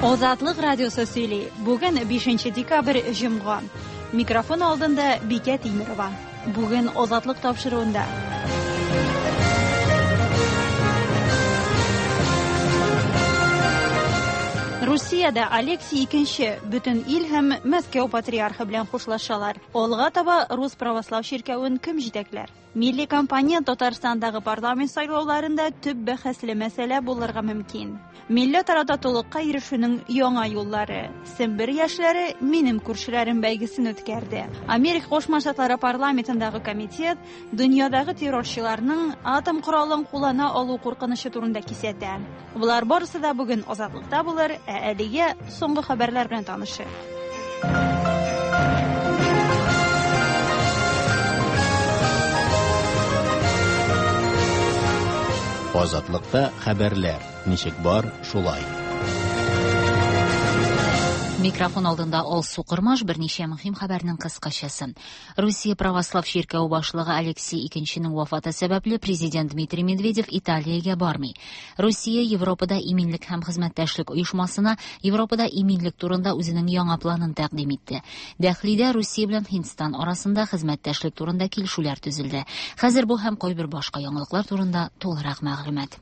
Азатлык радиосы сөйли. Бүген 5 декабрь, җомга. Микрофон алдында Бикә Тимерова. Бүген Азатлык тапшыруында. Русиядә Алексий II бөтен ил һәм Мәскәү патриархы белән хушлашалар. Алга таба Рус православ чиркәвен кем җитәкләр? Милли кампания Татарстандагы парламент сайлауларында төп бәхәсле мәсьәлә булырга мөмкин. Милләтара татулыкка ирешүнең яңа юллары. Сембер яшьләре Минем күршеләрем бәйгесен үткәрде. Америка Кушма Штатлары парламентындагы комитет дөньядагы террорчыларның атом коралын куллана алу куркынычы турында кисәтә. Болар барысы да бүген Азатлыкта булыр, ә әлегә соңгы хәбәрләр белән танышыйк. Азатлыкта хәбәрләр ничек бар, шулай. Микрофон алдында Алсу Кормаш, берничә мөһим хәбәрнең кыскачасы. Русия православ чиркәве башлыгы Алексий Икенченең вафаты сәбәпле президент Дмитрий Медведев Италиягә бармый. Русия Европада иминлек һәм хезмәттәшлек оешмасына Европада иминлек турында үзенең яңа планын тәкъдим итте. Дәхлидә Русия белән Һиндстан арасында хезмәттәшлек турында килешүләр төзелде. Хәзер бу һәм кайбер башка яңалыклар турында тулырак мәгълүмат.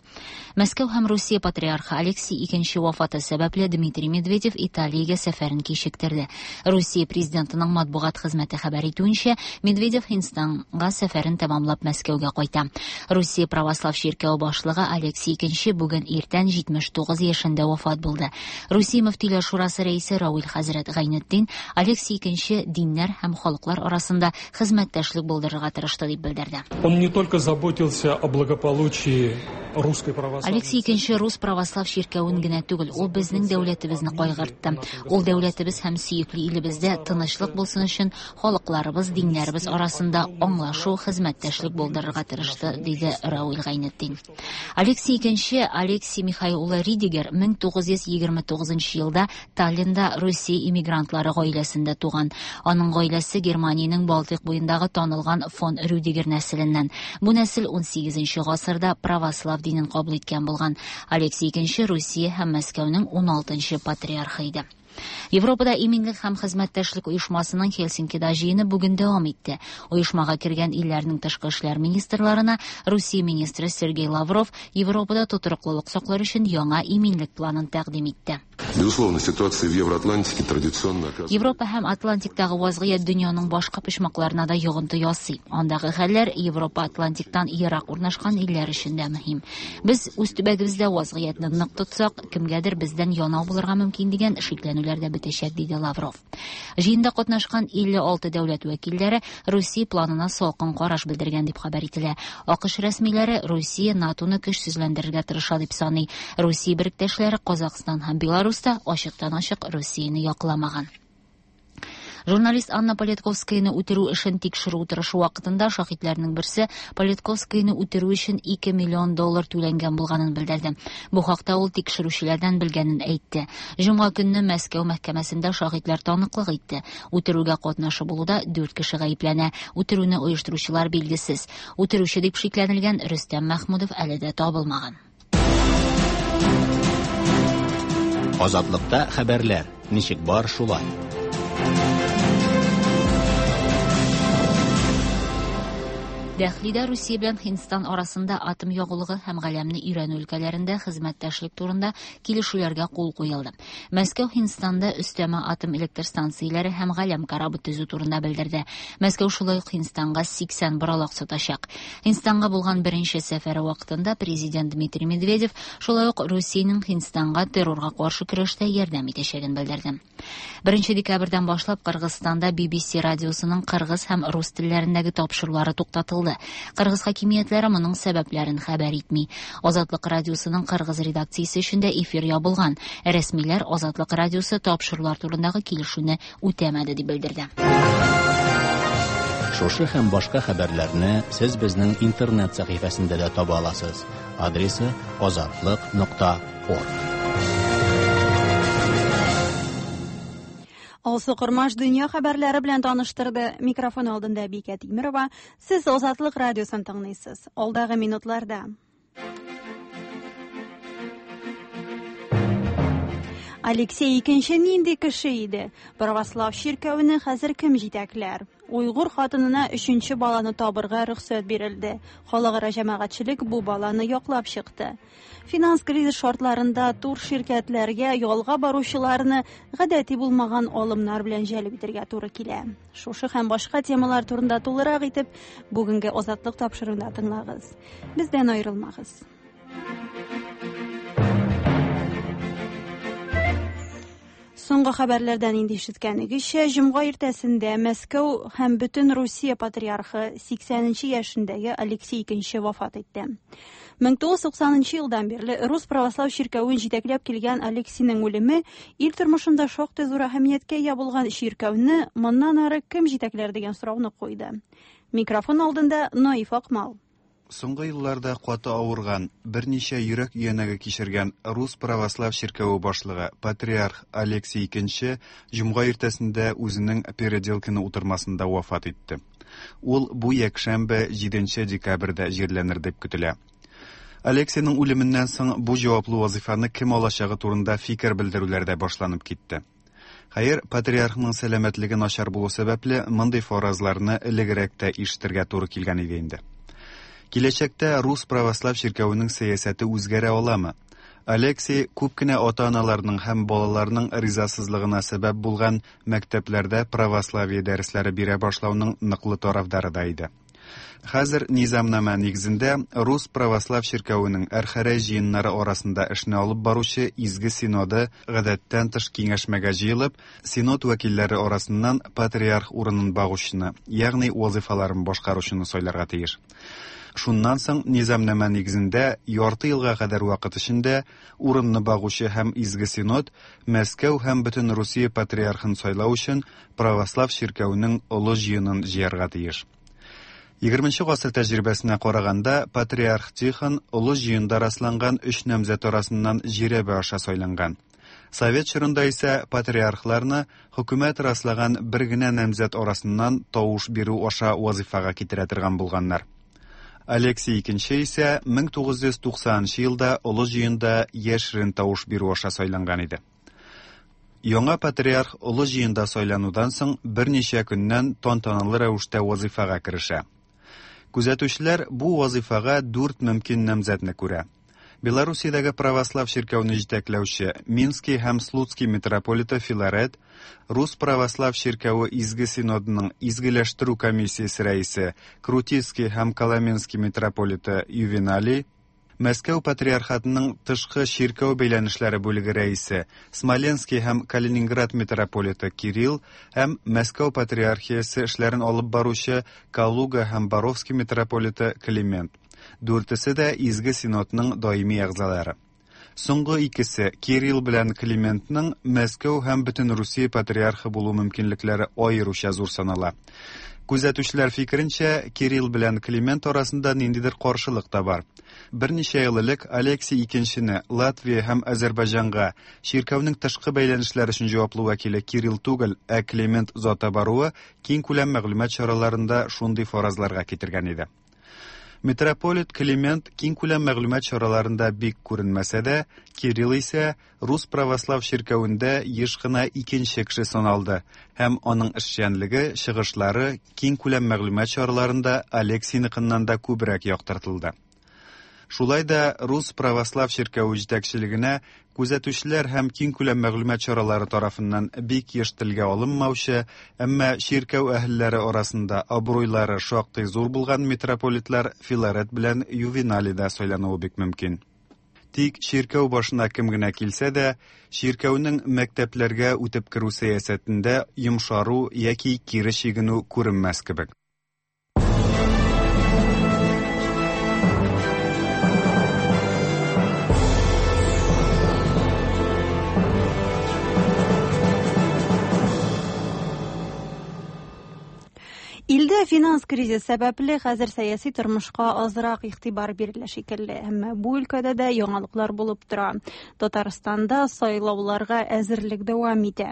Мәскәү һәм Русия патриархы Алексий Икенче вафаты сәбәпле Дмитрий Медведев Италиягә сәфәрен кичектерде. Русия президентының матбугат хезмәте хәбәр итүенчә, Медведев Һиндстанга сәфәрен тәмамлап Мәскәүгә кайта. Русия православ чиркәве башлыгы Алексий Икенче бүген иртән 79 яшендә вафат булды. Русия мөфтиләр шурасы рәисе Равил хәзрәт Гайнетдин Алексий Икенче диннәр һәм халыклар арасында хезмәттәшлек булдырырга тырышты дип белдерде. Он не только заботился о благополучии русской православной Алексий Икенче рус православ чиркәвен генә түгел, ул безнең дәүләтебезне кайгыртты. Ул дәүләтебез һәм сөекле илебездә тынычлык булсын өчен халыкларыбыз, диннәребез арасында аңлашу, хезмәттәшлек булдырырга тырышты, диде Рауль Гайнетдин. Алексий Икенче Алексий Михаил улы Ридигер 1929 елда Таллинда Русия иммигрантлары гаиләсендә туган. Аның гаиләсе Германиянең Балтыйк буендагы танылган фон Рюдигер нәселеннән. Бу нәсел 18 гасырда православ динен кабул иткән булган. Алексий II Русия һәм Мәскәүнең 16 патриархы иде. Европада иминлек һәм хезмәттәшлек оешмасының Хельсинкида җыены бүген дәвам итте. Оешмага кергән илләрнең тышкы эшләр министрларына Русия министры Сергей Лавров Европада тотрыклылык саклар өчен яңа иминлек планын тәкъдим итте. Безусловно, ситуация в Евроатлантике традиционно оказывает... Европа һәм Атлантиктагы вазгыять дөньяның башка почмакларына да йогынты ясый. Андагы хәлләр Европа Атлантиктан ерак урнашкан илләр өчен дә мөһим. Без үз төбәгебездә вазгыятьне нык тотсак, кемгәдер бездән янау булырга мөмкин дигән шикләнүләр дә бетәчәк, диде Лавров. Җыенда катнашкан 56 дәүләт вәкилләре Русия планына салкын караш белдергән дип хәбәр ителә. АКШ рәсмиләре Русия НАТОны көчсезләндерергә тырыша дип саный. Русия беректәшләре Казахстан һәм Беларусь та ачыктан-ачык Русияне якламаган. Журналист Анна Политковскаяны үтерү эшен тикшерү утырышы вакытында шаһитләрнең берсе Политковскаяны үтерү өчен 2 миллион доллар түләнгән булганын белдерде. Бу хакта ул тикшерүчеләрдән белгәнен әйтте. Җомга көнне Мәскәү мәхкәмәсендә шаһитләр таныклык итте. Үтерүгә катнашы булуда 4 кеше гаепләнә. Үтерүне оештыручылар билгесез. Үтерүче дип шикләнелгән Рөстәм Мәхмүдов әле дә табылмаган. Азатлыкта хәбәрләр ничек бар, шулай. Дәхлидә Русия белән Һиндстан арасында атом ягулыгы һәм галәмне өйрәнү өлкәләрендә хезмәттәшлек турында килешүләргә кул куелды. Мәскәү Һиндстанда өстәмә атом электр станцияләре һәм галәм корабы төзү турында белдерде. Мәскәү шулай ук Һиндстанга 80 боралак сатачак. Һиндстанга булган беренче сәфәре вакытында президент Дмитрий Медведев шулай ук Русиянең Һиндстанга террорга каршы көрәштә ярдәм итәчәген белдерде. 1 декабрьдән башлап Кыргызстанда BBC радиосының кыргыз һәм рус телләрендәге тапшырулары туктатылды. Кыргыз хакимиятләре моның сәбәпләрен хәбәр итми. Азатлык радиосының кыргыз редакциясе өчен дә эфир ябылган. Рәсмиләр Азатлык радиосы тапшырулар турындагы килешүне үтәмәде дип белдерде. Шушы һәм башка хәбәрләрне сез безнең интернет сәхифәсендә дә таба аласыз. Адресы azatliq.org. Алсу Кормаш дөнья хәбәрләре белән таныштырды. Микрофон алдында Бикә Тимирова. Сез Азатлык радиосын тыңлыйсыз. Алдагы минутларда. Алексей икенче нинди кеше иде? Православ чиркәвене хәзер кем җитәкләр? Уйгур хатынына өченче баланы табырга рөхсәт бирелде. Халыкара җәмәгатьчелек бу баланы яклап чыкты. Финанс кризис шартларында тур ширкәтләргә ялга баручыларны гадәти булмаган алымнар белән җәлеп итәргә туры килә. Шушы һәм башка темалар турында тулырак итеп бүгенге Азатлык тапшыруында тыңлагыз. Бездән аерылмагыз. Соңгы хәбәрләрдән инде ишеткәнегезчә, җомга иртәсендә Мәскәү һәм бөтен Русия патриархы 80 яшендәге Алексей II вафат итте. 1990 елдан бирле Рус православ чиркәвен җитәкләп килгән Алексейның үлеме ил тормышында шактый зур әһәмияткә ия булган чиркәүне моннан ары кем җитәкләр дигән сорауны куйды. Микрофон алдында Наиф Акмал. Соңгы елларда каты авырган, берничә йөрәк өянәге кичергән Рус православ чиркәве башлыгы патриарх Алексий II җомга иртәсендә үзенең Переделкино утырмасында вафат итте. Ул бу якшәмбе 7 декабрьдә җирләнер дип көтелә. Алексейның үлеменнән соң бу җаваплы вазифаны кем алачагы турында фикер белдерүләр дә башланып китте. Хәер, патриархның сәламәтлеге начар булу сәбәпле, мондый фаразларны элегрәк тә ишетергә туры килгән иде инде. Киләчәктә Рус православ чиркәвенең сәясәте үзгәрә аламы? Алексей күп кенә ата-аналарның һәм балаларның ризасызлыгына сәбәп булган мәктәпләрдә православие дәресләре бирә башлауның ныклы тарафдары да иде. Хәзер низамнамә нигезендә Рус православ чиркәвенең Әрхәрәй җыеннары арасында эшне алып баручы Изге Синоды гадәттән тыш киңәшмәгә җыелып, Синод вәкилләре арасыннан патриарх урынын багучыны, ягъни вазифаларын башкаручыны сайларга тиеш. Шуннан соң низамнамә нигезендә ярты елга кадәр вакыт эчендә урынны багучы һәм Изге Синод Мәскәү һәм бөтен Русия патриархын сайлау өчен православ чиркәвенең олы җыенын җыярга тиеш. 20 гасыр тәҗрибәсенә караганда, патриарх Тихон олы җыенда расланган өч намзәт арасыннан жирәбә аша сайланган. Совет чорында исә патриархларны хөкүмәт раслаган бер генә намзәт арасыннан тавыш бирү аша вазифага китерә торган булганнар. Алексей II исә 1990 елда олы җыенда яшерен тавыш бирү аша сайланган иде. Яңа патриарх олы җыенда сайланудан соң берничә көннән тантаналы рәвештә вазифага керешә. Күзәтүчеләр бу вазифага дүрт мөмкин намзәтне күрә. Белоруссиядәге православ чиркәүне җитәкләүче Минский һәм Слуцкий митрополиты Филарет, Рус православ чиркәве Изге Синодының изгеләштерү комиссиясе рәисе Крутицкий һәм Коломенский митрополиты Ювеналий, Мәскәү патриархатының тышкы чиркәү бәйләнешләре бүлеге рәисе Смоленский һәм Калининград митрополиты Кирилл һәм Мәскәү патриархиясе эшләрен алып баручы Калуга һәм Боровский митрополиты Климент. Дүртесе дә Изге Синодның даими әгъзалары. Соңгы икесе Кирилл белән Климентның Мәскәү һәм бөтен Русия патриархы булу мөмкинлекләре аеруча зур санала. Күзәтүчеләр фикеренчә, Кирилл белән Климент арасында ниндидер каршылык та бар. Берничә ел элек Алексей II-не Латвия һәм Азербайҗанга чиркәүнең тышкы бәйләнешләр өчен җаваплы вәкиле Кирилл түгел, ә Климент заты баруы киң күләм мәгълүмат чараларында шундый фаразларга китергән иде. Митрополит Климент киң күләм мәгълүмат чараларында бик күренмәсә дә, Кирилл исә Рус православ чиркәвендә еш кына икенче кеше саналды һәм аның эшчәнлеге, чыгышлары киң күләм мәгълүмат чараларында Алексейныкыннан да күбрәк яктыртылды. Шулай да Рус православ чиркәве җитәкчелегенә күзәтүчеләр һәм киң күләм мәгълүмат чаралары тарафыннан бик еш телгә алынмаучы, әмма чиркәү әһелләре арасында абруйлары шактый зур булган митрополитлар Филарет белән Ювеналий да сайлануы бик мөмкин. Тик чиркәү башына кем генә килсә дә, чиркәүнең мәктәпләргә үтеп керү сәясәтендә йомшару яки кире чигенү күренмәс кебек. Илдә финанс кризис сәбәпле хәзер сәяси тормышка азрак игътибар бирелә шикелле, әмма бу өлкәдә дә яңалыклар булып тора. Татарстанда сайлауларга әзерлек дәвам итә.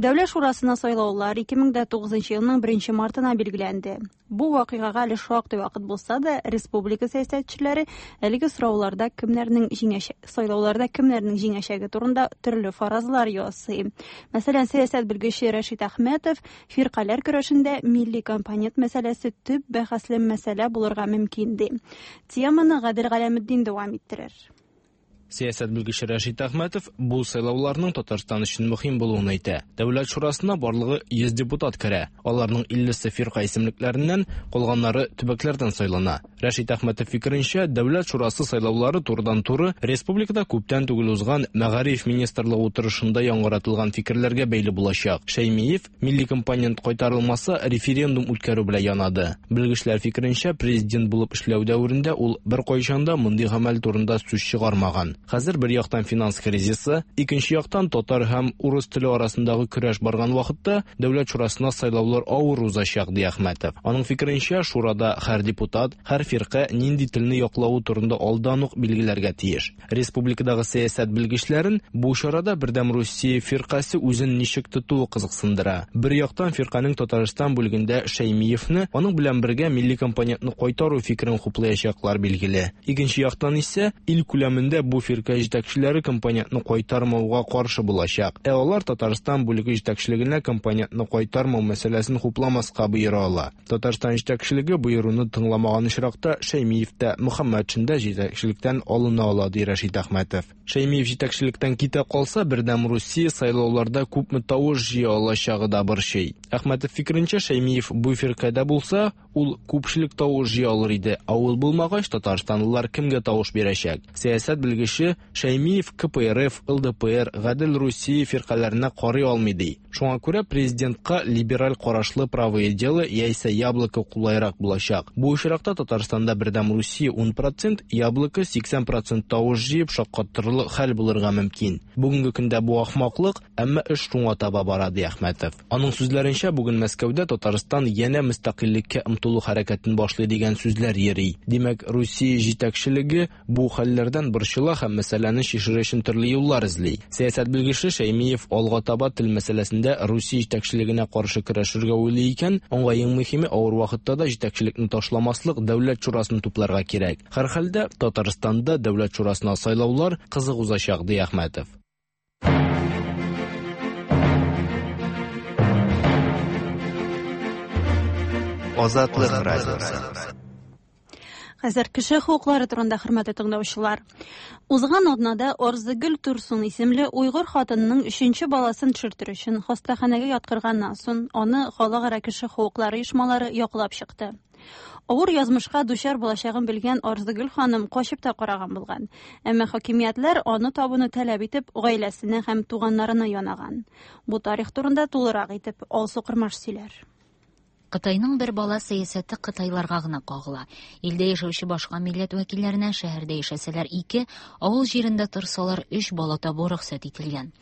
Дәүләт шурасына сайлаулар 2009 елның 1 мартына билгеләнде. Бу вакыйгага әле шактый вакыт булса да, республика сәясәтчеләре әлеге сорауларда кемнәрнең җиңәчәге, сайлауларда кемнәрнең җиңәчәге турында төрле фаразлар ясый. Мәсәлән, сәясәт белгече Рәшит Әхмәтов фиркаләр көрәшендә милли компонент мәсьәләсе төп бәхәсле мәсьәлә булырга мөмкин ди. Теманы Гадел Галәметдин дәвам иттерер. Сәясәт белгече Рәшит Әхмәтов бу сайлауларның Татарстан өчен мөһим булуын әйтә. Дәүләт шурасына барлыгы 100 депутат керә. Аларның 50-се фирка исемлекләреннән, калганнары төбәкләрдән сайлана. Рәшит Әхмәтов фикеренчә, Дәүләт шурасы сайлаулары турыдан-туры республикада күптән түгел узган Мәгариф министрлыгы утырышында яңгыратылган фикерләргә бәйле булачак. Шәймиев милли компонент кайтарылмаса референдум үткәрү белән янады. Белгечләр фикеренчә, президент булып эшләү дәверендә ул беркайчан да мондый гамәл турында сүз чыгармаган. Хәзер бер яктан финанс кризисы, икенче яктан татар һәм урыс теле арасындагы көрәш барган вакытта Дәүләт шурасына сайлаулар авыр узачак, ди Әхмәтов. Аның фикеренчә, шурада һәр депутат, һәр фирка нинди телне яклавы турында алдан ук билгеләргә тиеш. Республикадагы сәясәт белгечләрен бу чарада Бердәм Русия фиркасе үзен ничек тотуы кызыксындыра. Бер яктан фирканең Татарстан бүлегендә Шәймиевне, аның белән бергә милли компонентны кайтару фикерен хуплаячаклар билгеле. Икенче яктан исә ил күләмендә бу фирка җитәкчеләре компонентны кайтармауга каршы булачак. Ә алар Татарстан бүлеге җитәкчелегенә компонентны кайтармау мәсьәләсен хупламаска боера ала. Татарстан җитәкчелеге боеруны тыңламаган очракта Шәймиев тә, Мөхәммәтшин дә җитәкчелектән алына ала, ди Рәшит Әхмәтов. Шәймиев җитәкчелектән китә калса, Бердәм Русия сайлауларда күпме тавыш җыя алачагы да борчый. Әхмәтов фикеренчә, Шәймиев бу фиркадә булса, ул күпчелек тавыш җыя алыр иде. Ә ул булмагач, татарстанлылар кемгә тавыш бирәчәк? Сәясәт белгече Шәймиев КПРФ, ЛДПР, Гадел Русия фиркаләренә карый алмый ди. Шуңа күрә президентка либераль карашлы Правое дело яисә Яблоко кулайрак булачак. Бу очракта Татарстанда Бердәм Русия 10%, Яблоко 80% тавыш җыеп шаккатырырлык хәл булырга мөмкин. Бүгенге көндә бу ахмаклык, әмма эш шуңа таба бара, ди Әхмәтов. Аның сүзләренчә, бүген Мәскәүдә Татарстан янә мөстәкыйльлеккә омтылу хәрәкәтен башлый дигән сүзләр йөри. Димәк, Русия җитәкчелеге бу хәлләрдән борчыла һәм мәсьәләне чишер өчен төрле юллар эзли. Сәясәт белгече Шәймиев алга таба тел мәсьәләсендә Русия җитәкчелегенә каршы көрәшергә уйлый икән, аңа иң мөһиме авыр вакытта да җитәкчелекне ташламаслык Дәүләт шурасын тупларга кирәк. Һәрхәлдә, Татарстанда Дәүләт шурасына сайлаулар кызык узачак, ди Әхмәтов. Азатлык радиосы. Хәзер кеше хокуклары турында, хөрмәтле тыңлаучылар. Узган атнада Арзыгөл Турсун исемле уйгыр хатынының өченче баласын төшертер өчен хастаханәгә яткырганнан соң, аны халыкара кеше хокуклары оешмалары яклап чыкты. Авыр язмышка дучар булачагын белгән Арзыгөл ханым качып та караган булган. Әмма хакимиятләр аны табуны таләп итеп, гаиләсенә һәм туганнарына янаган. Бу тарих турында тулырак итеп Алсу Кырмаш сөйләр. Кытайның бер бала сәясәте кытайларга гына кагыла. Илдә яшәүче башка милләт вәкилләренә шәһәрдә яшәсәләр 2, авыл җирендә торсалар 3 бала табу рөхсәт ителгән.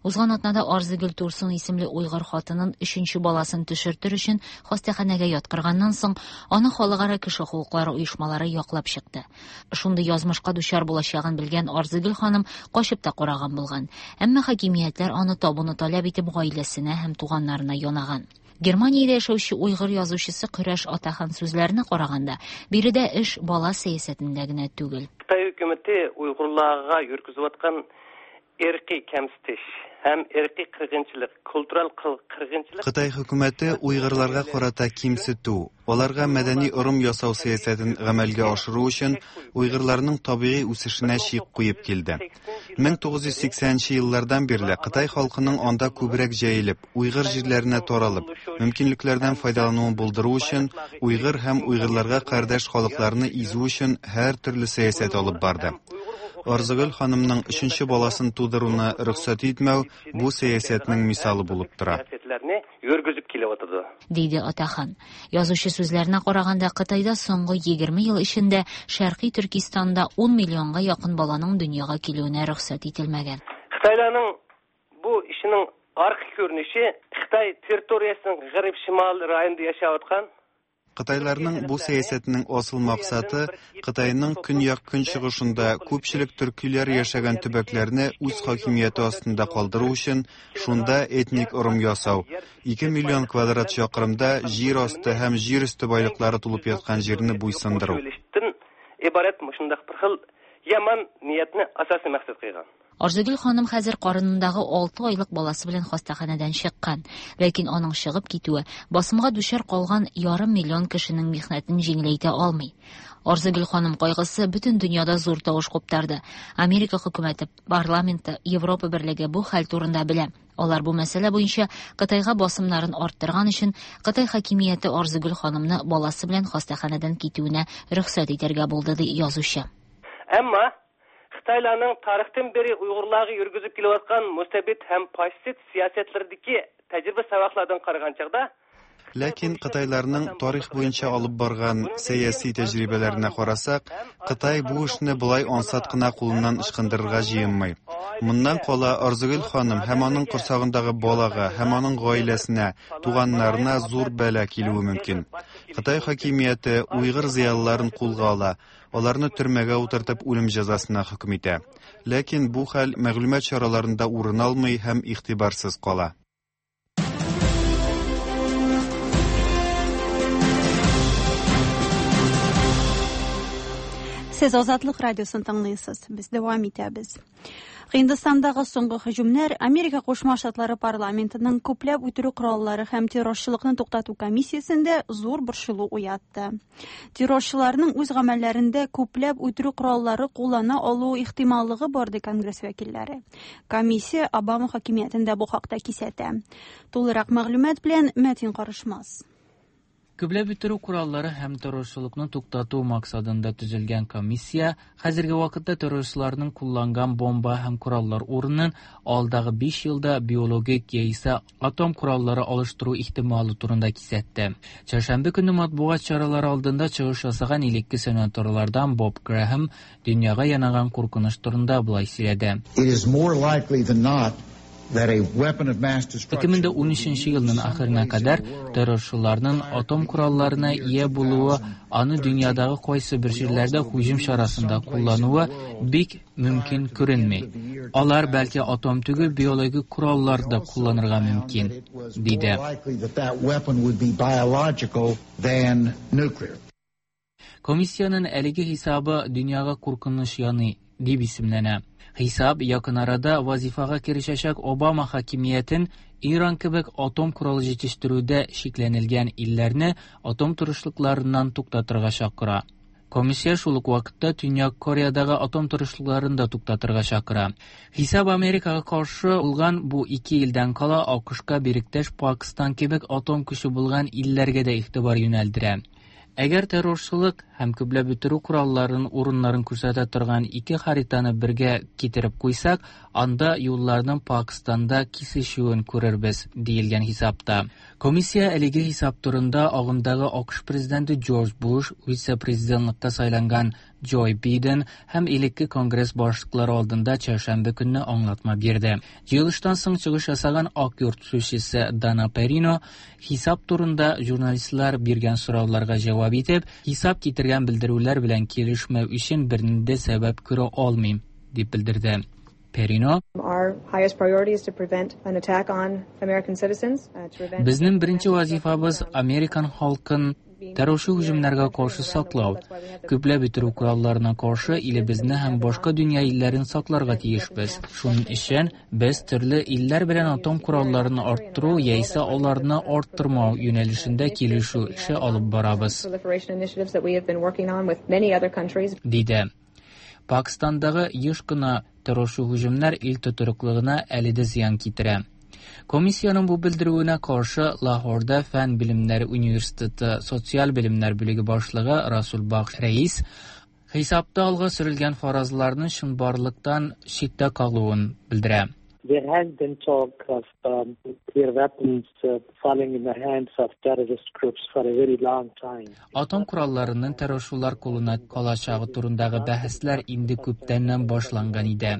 Узган атнада Арзыгөл Турсун исемле уйгыр хатынын 3нче баласын төшертер өчен хастаханәгә яткырганнан соң, аны халыкара кеше хокуклары оешмалары яклап чыкты. Шундый язмышка дучар булачагын белгән Арзыгөл ханым качып та караган булган. Әмма хакимиятләр аны табуны таләп итеп гаиләсенә һәм туганнарына янаган. Германиядә яшәүче уйгыр язучысы Көрәш Атахан сүзләренә караганда, биредә эш бала сәясәтендә генә түгел. Кытай хөкүмәте уйгырларга йөргизүткән ирки кемситиш һәм ирки кыргынчылык, культурал кыргынчылык. Кытай хөкүмәте уйгырларга карата кимсетү, аларга мәдәни ырым ясау сәясәтен гамәлгә ашыру өчен уйгырларның табигый үсешенә чик куеп килде. 1980 еллардан бирле Кытай халкының анда күбрәк җәелеп, уйгыр җирләренә таралып, мөмкинлекләрдән файдалануын булдыру өчен уйгыр һәм уйгырларга кардәш халыкларны изү өчен һәр төрле сәясәт алып барды. Арзыгөл ханымның 3нче баласын тудыруны рөхсәт итмәү бу сәясәтнең мисалы булып тора. Диде Атахан. Язучы сүзләренә караганда, Кытайда соңгы 20 ел эчендә Шәркый Төркистанда 10 миллионга якын баланың дөньяга килүенә рөхсәт ителмәгән. Кытайларның бу ишенең аркы күренеше Кытай территориясенең гарип шимал районында яшәп аткан Кытайларның бу сәясәтенең асыл максаты Кытайның көньяк-көнчыгышында күпчелек төркиләр яшәгән төбәкләрне үз хакимияте астында калдыру өчен шунда этник ырым ясау, 2 миллион квадрат чакрымда җир асты һәм җир өсте байлыклары тулып яткан җирне буйсындыру. ئىبارەت مۇشۇنداق بىر خىل يامان نىيەتنى ئاساسىي مەقسەت قىلغان. Арзыгөл ханым хәзер карынындагы 6 айлык баласы белән хастаханәдән чыккан. Ләкин аның чыгып китүе басымга дучар калган ярым миллион кешенең михнәтен җиңеләйтә алмый. Арзыгөл ханым кайгысы бөтен дөньяда зур тавыш куптарды. Америка хөкүмәте, парламенты, Европа берлеге бу хәл турында белә. Алар бу мәсьәлә буенча Кытайга басымнарын арттырган өчен Кытай хакимияте Арзыгөл ханымны баласы белән хастаханәдән китүенә рөхсәт итәргә булды, ди язучы. Әмма Xitoylarning tarixdan beri Uyg'urlarga yurgizib kelayotgan mustabid ham fashist siyosatlaridagi tajriba saboqlardan qaragan chog'da Ләкин кытайларның тарих буенча алып барган сәяси тәҗрибәләренә карасак, Кытай бу эшне болай ансат кына кулыннан ычкындырырга җыенмый. Моннан кала Арзыгөл ханым һәм аның корсагындагы балага һәм аның гаиләсенә, туганнарына зур бәла килүе мөмкин. Кытай хакимияте уйгыр зыялыларын кулга ала, аларны төрмәгә утыртып үлем җәзасына хөкем итә. Ләкин бу хәл мәгълүмат чараларында урын алмый һәм игътибарсыз кала. Сез Азатлык радиосын тыңлыйсыз. Без дәвам итәбез. Һиндстандагы соңгы һөҗүмнәр Америка Кушма Штатлары парламентының күпләп үтерү кораллары һәм террорчылыкны туктату комиссиясендә зур борчылу уятты. Террорчыларның үз гамәлләрендә күпләп үтерү кораллары куллана алу ихтималлыгы бар, ди Конгресс вәкилләре. Комиссия Обама хакимиятендә бу хакта кисәтә. Тулырак мәгълүмат белән Мәтин Карышмас. Күпләп үтерү кораллары һәм террорчылыкны туктату максатында төзелгән комиссия хәзерге вакытта террорчыларның кулланган бомба һәм кораллар урынын алдагы 5 елда биологик яисә атом кораллары алыштыру ихтималы турында кисәтте. Чәршәмбе көнне матбугат чаралары алдында чыгыш ясаган элекке сенаторлардан Боб Грэхэм дөньяга янаган куркыныч турында болай сөйләде. It is more likely than not that a weapon of mass destruction 2013 елның ахырына кадәр террорчыларның атом коралларына ия булуы, аны дөньядагы кайсы бер җирләрдә һөҗүм чарасында куллануы бик мөмкин күренми. Алар бәлки атом түгел, биологик кораллар да кулланырга мөмкин, диде. likely that that weapon would be biological than nuclear. Комиссиянең әлеге хисабы дөньяга куркыныч яный дип исемләнә. Хисап якын арада вазифага керешәчәк Обама хакимиятен Иран кебек атом коралы җитештерүдә шикләнелгән илләрне атом тырышлыкларыннан туктатырга чакыра. Комиссия шул ук вакытта Төньяк Кореядагы атом тырышлыкларын да туктатырга чакыра. Хисап Америкага каршы булган бу ике илдән кала АКШка беректәш Пакистан кебек атом көче булган илләргә дә игътибар юнәлдерә. Әгәр террорчылык һәм күпләп үтерү коралларын урыннарын күрсәтә торган ике хаританы бергә китереп куйсак, анда юлларның Пакистанда кисешүен күрербез, диелгән хисапта. Комиссия әлеге хисап турында агымдагы АКШ президенты Джордж Буш, вице-президентлыкка сайланган Джо Биден һәм элекке Конгресс башлыклары алдында чәршәмбе көнне аңлатма бирде. Җыелыштан соң чыгыш ясаган Ак йорт сүзчесе Дана Перино хисап турында журналистлар биргән сорауларга җавап итеп, хисап китергән белдерүләр белән килешмәү өчен бернинди сәбәп күрә алмыйм, дип белдерде. Перино Our highest priority is to prevent an attack on American citizens, to prevent Безнең беренче вазифабыз Американ халкын террорчы һөҗүмнәргә каршы саклау. Күпләп үтерү коралларына каршы илебезне һәм башка дөнья илләрен сакларга тиешбез. Шуның өчен без төрле илләр белән атом коралларын арттыру яисә аларны арттырмау юнәлешендә килешү эше алып барабыз, proliferation initiatives that we have been working on with many other countries. диде. Пакистандагы еш кына террорчы һөҗүмнәр ил тотрыклылыгына әле дә зыян китерә. Комиссиянең бу белдерүенә каршы Лахорда Фән белемнәре университеты социаль белемнәр бүлеге башлыгы Расул Бакш Рәис хисапта алга сөрелгән фаразларның чынбарлыктан читтә калуын белдерә. There has been talk of nuclear weapons falling in the hands of terrorist groups for a very long time. Атом коралларының террорчылар кулына калачагы турындагы бәхәсләр инде күптәннән башланган иде.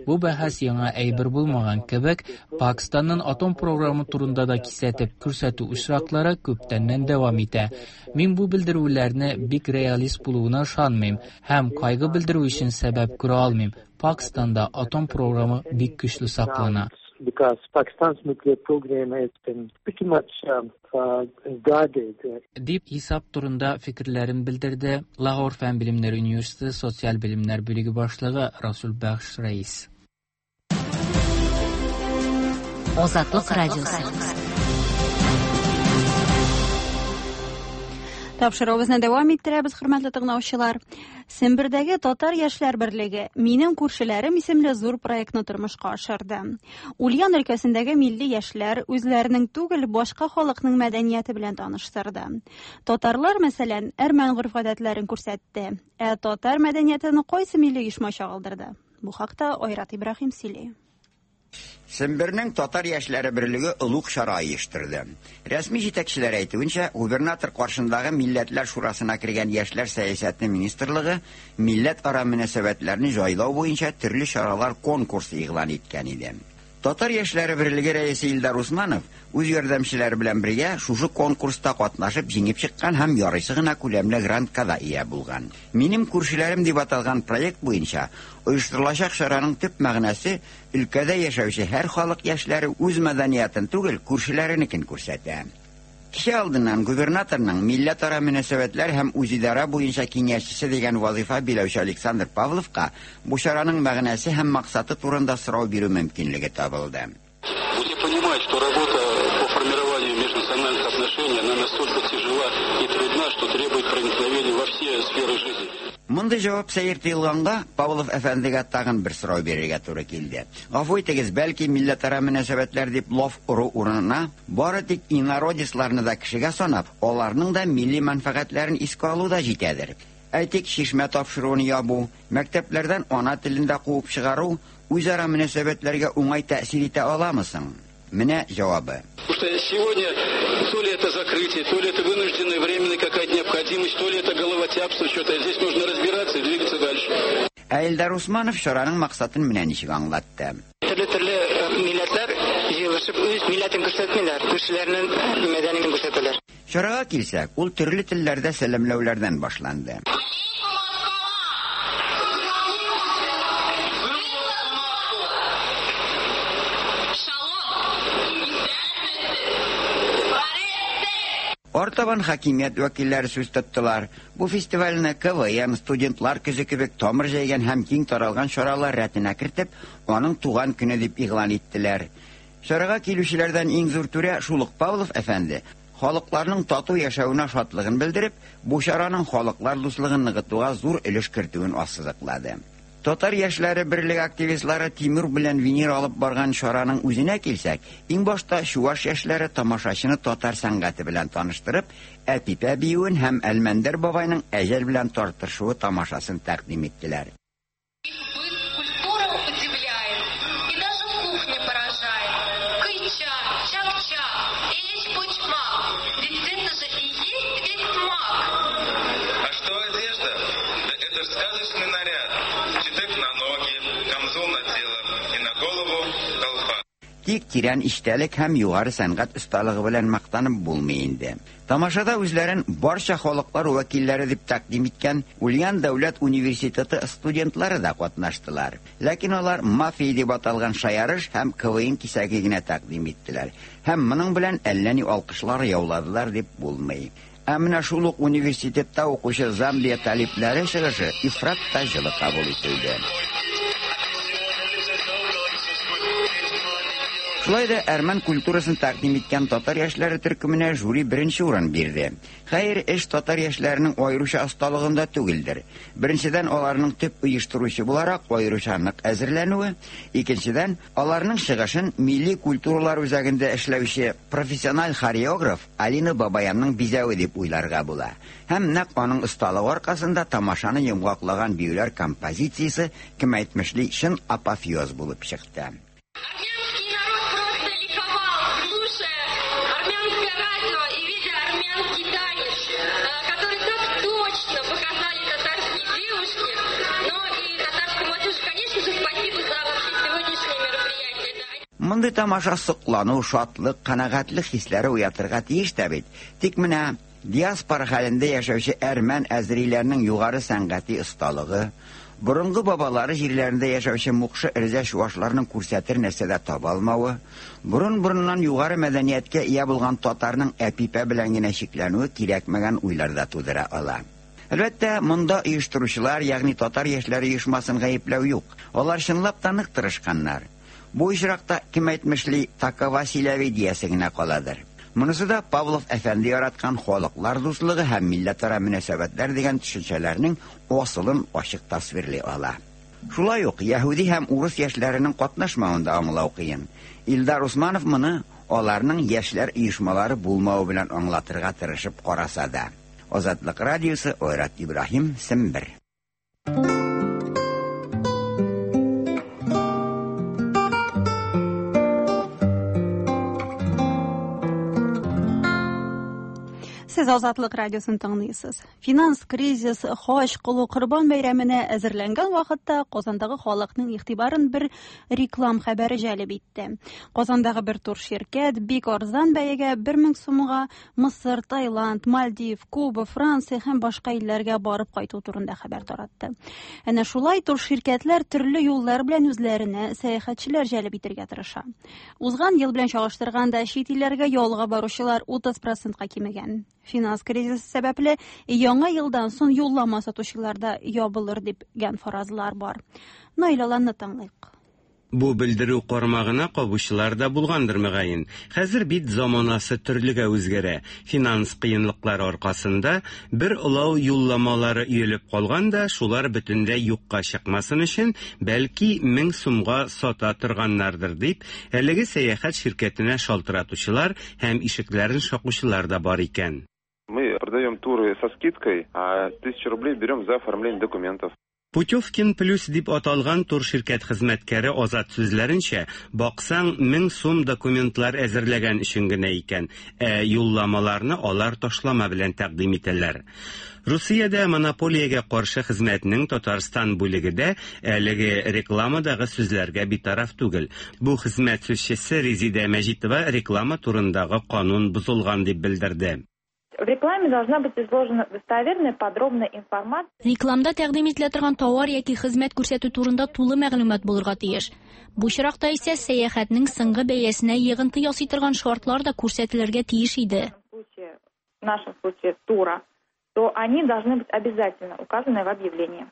Бу бәхәс яңа әйбер булмаган кебек, Пакистанның атом програмы турында да кисәтеп күрсәтү очраклары күптәннән дәвам итә. Мин бу белдерүләрне бик реалист булуына ышанмыйм һәм кайгы белдерү өчен сәбәп күрә алмыйм. Пакистанда атом програмы бик көчле саклана. Because Pakistan's nuclear program has been pretty much guarded. Дип хисап турында фикерләрен белдерде Лахор фән белемнәре университеты социаль белемнәр бүлеге башлыгы Расул Бәхш Рәис. Азатлык радиосы. Тапшыруыбызны дәвам иттерәбез, хөрмәтле тыңлаучылар. Сембердәге Татар яшьләр берлеге Минем күршеләрем исемле зур проектны тормышка ашырды. Ульян өлкәсендәге милли яшьләр үзләренең түгел, башка халыкның мәдәнияте белән таныштырды. Татарлар, мәсәлән, әрмән гореф-гадәтләрен күрсәтте. Ә татар мәдәниятен кайсы милли оешма чагылдырды? Бу хакта Айрат Ибраһим сөйли. Сембернең Татар яшьләре берлеге олуг чара оештырды. Рәсми җитәкчеләр әйтүенчә, губернатор каршындагы Милләтләр шурасына кергән Яшьләр сәясәте министрлыгы милләтара мөнәсәбәтләрне җайлау буенча төрле чаралар конкурсы игълан иткән иде. Татар яшьләре берлеге рәисе Илдар Усманов үз ярдәмчеләре белән бергә шушы конкурста катнашып җиңеп чыккан һәм ярыйсы гына күләмле грантка да ия булган. Минем күршеләрем дип аталган проект буенча оештырылачак чараның төп мәгънәсе өлкәдә яшәүче һәр халык яшьләре үз мәдәниятын түгел, күршеләренекен күрсәтә. Кичә алдыннан губернаторның милләтара мөнәсәбәтләр һәм үзидарә буенча киңәшчесе дигән вазыйфа биләүче Александр Павловка бу чараның мәгънәсе һәм максаты турында сорау бирү мөмкинлеге табылды. Все понимают, что работа по формированию межнациональных отношений, она настолько тяжела и трудна, что требует проникновения во все сферы жизни. Мондый җавап сәер тоелганга, Павлов әфәндегә тагын бер сорау бирергә туры килде. Гафу итегез, бәлки милләтара мөнәсәбәтләр дип лаф ору урынына, бары тик инородецларны да кешегә санап, аларның да милли мәнфәгатьләрен искә алу да җитәдер. Әйтик, чишмә тапшыруын ябу, мәктәпләрдән ана телен дә куып чыгару үзара мөнәсәбәтләргә уңай тәэсир итә аламы соң? Менә җавабы. Потому что сегодня то ли это закрытие, то ли это вынужденная временная какая-то необходимость, то ли это головотяпство, что-то. Здесь нужно разбираться и двигаться дальше. Ә Илдар Усманов чараның максатын менә ничек аңлатты. Төрле-төрле милләтләр җыелышып үз милләтен күрсәтмиләр, күршеләренең мәдәниятен күрсәтәләр. Чарага килсәк, ул төрле телләрдә сәламләүләрдән башланды. Артабан хакимият вәкилләре сүз тоттылар. Бу фестивальне КВН, студентлар көзе кебек тамыр җәйгән һәм киң таралган чаралар рәтенә кертеп, аның туган көне дип игълан иттеләр. Чарага килүчеләрдән иң зур түрә шул ук Павлов әфәнде халыкларның тату яшәвенә шатлыгын белдереп, бу чараның халыклар дуслыгын ныгытуга зур өлеш кертүен ассызыклады. Татар яшьләре берлеге активистлары Тимур белән Венера алып барган чараның үзенә килсәк, иң башта чуаш яшьләре тамашачыны татар сәнгате белән таныштырып, Әпипә биюен һәм Әлмәндәр бабайның әҗәл белән тартышуы тамашасын тәкъдим иттеләр. Культура удивляет и даже кухня поражает. Кыйча, чак-чак, эчпочмак, ведь это же и есть весь смак. А что одежда? Да это ж сказочный наряд. Читек на ноги, камзол на тело и на голову колпак. Тик тирән эчтәлек һәм югары сәнгать осталыгы белән мактанып булмый инде. Тамашада үзләрен барча халыклар вәкилләре дип тәкъдим иткән Ульян дәүләт университеты студентлары да катнаштылар. Ләкин алар мафия дип аталган шаярыш һәм КВН кисәге генә тәкъдим иттеләр. Һәм моның белән әллә ни алкышлар яуладылар дип булмый. Ә менә шул ук университетта укучы Замбия талипләре чыгышы ифрат та җылы кабул ителде. Шулай да әрмән культурасын тәкъдим иткән татар яшьләре төркеменә жюри беренче урын бирде. Хәер, эш татар яшьләренең аеруча осталыгында түгелдер. Беренчедән, аларның төп оештыручы буларак аеруча нык әзерләнүе, икенчедән, аларның чыгышын милли культуралар үзәгендә эшләүче профессиональ хореограф Алина Бабаянның бизәве дип уйларга була. Һәм нәкъ аның осталыгы аркасында тамашаны йомгакланган биюләр композициясе, кем әйтмешли, чын апофеоз булып чыкты. Мондый тамаша соклану, шатлык, канәгатьлек хисләре уятырга тиеш тә бит. Тик менә диаспора хәлендә яшәүче әрмән әзериләрнең югары сәнгати осталыгы, борынгы бабалары җирләрендә яшәүче мукшы эрзә чуашларның күрсәтер нәрсә дә таба алмавы, борын-борыннан югары мәдәнияткә ия булган татарның Әпипә белән генә чикләнүе кирәкмәгән уйлар да тудыра ала. Әлбәттә, монда оештыручылар, ягъни татар яшьләре оешмасын гаепләү юк. Алар чынлап та нык тырышканнар. Бу очракта, кем әйтмешли, такова силәви диясе генә каладыр. Монысы да Павлов әфәнде яраткан халыклар дуслыгы һәм милләтара мөнәсәбәтләр дигән төшенчәләрнең асылын ачык тасвирлый ала. Шулай ук яһүди һәм урыс яшьләренең катнашмавын да аңлау кыен. Илдар Усманов моны аларның яшьләр оешмалары булмавы белән аңлатырга тырышып караса да. Азатлык радиосы, Айрат Ибраһим, Сембер. Сез Азатлык радиосын тыңлыйсыз. Финанс кризис, хаҗ кылу, Корбан бәйрәменә әзерләнгән вакытта Казандагы халыкның игътибарын бер реклам хәбәре җәлеп итте. Казандагы бер турширкәт бик арзан бәягә 1000 сумга Мысыр, Таиланд, Мальдив, Куба, Франция һәм башка илләргә барып кайту турында хәбәр таратты. Әнә шулай турширкәтләр төрле юллар белән үзләренә сәяхәтчеләр җәлеп итәргә тырыша. Узган ел белән чагыштырганда чит илләргә ялга баручылар 30 процентка кимегән. Финанс кризисы сәбәпле яңа елдан соң юллама сатучылар да ябылыр дигән фаразлар бар. Наил Аланны тыңлыйк. Бу белдерү кармагына кабучылар да булгандыр, мөгаен. Хәзер бит заманасы төрлегә үзгәрә. Финанс кыенлыклары аркасында бер олау юлламалары өелеп калган да, шулар бөтенләй юкка чыкмасын өчен, бәлки, 1000 сумга сата торганнардыр дип, әлеге сәяхәт ширкәтенә шалтыратучылар һәм ишекләрен шакучылар да бар икән. Мы продаем туры со скидкой, а 1000 рублей берем за оформление документов. Путевкин плюс дип аталган турширкәт хезмәткәре Азат сүзләренчә, баксаң, 1000 сум документлар әзерләгән өчен генә икән, ә юлламаларны алар ташлама белән тәкъдим итәләр. Русиядә монополиягә каршы хезмәтнең Татарстан бүлеге дә әлеге рекламадагы сүзләргә битараф түгел. Бу хезмәт сүзчесе Резидә Мәҗитова реклама турындагы канун бозылган дип белдерде. В рекламе должна быть изложена достоверная, подробная информация. Рекламда тәкъдим ителә торган товар яки хезмәт күрсәтү турында тулы мәгълүмат булырга тиеш. Бу очракта исә сәяхәтнең соңгы бәясенә йогынты ясый торган шартлар да күрсәтелергә тиеш иде. В нашем случае тура, то они должны быть обязательно указаны в объявлении.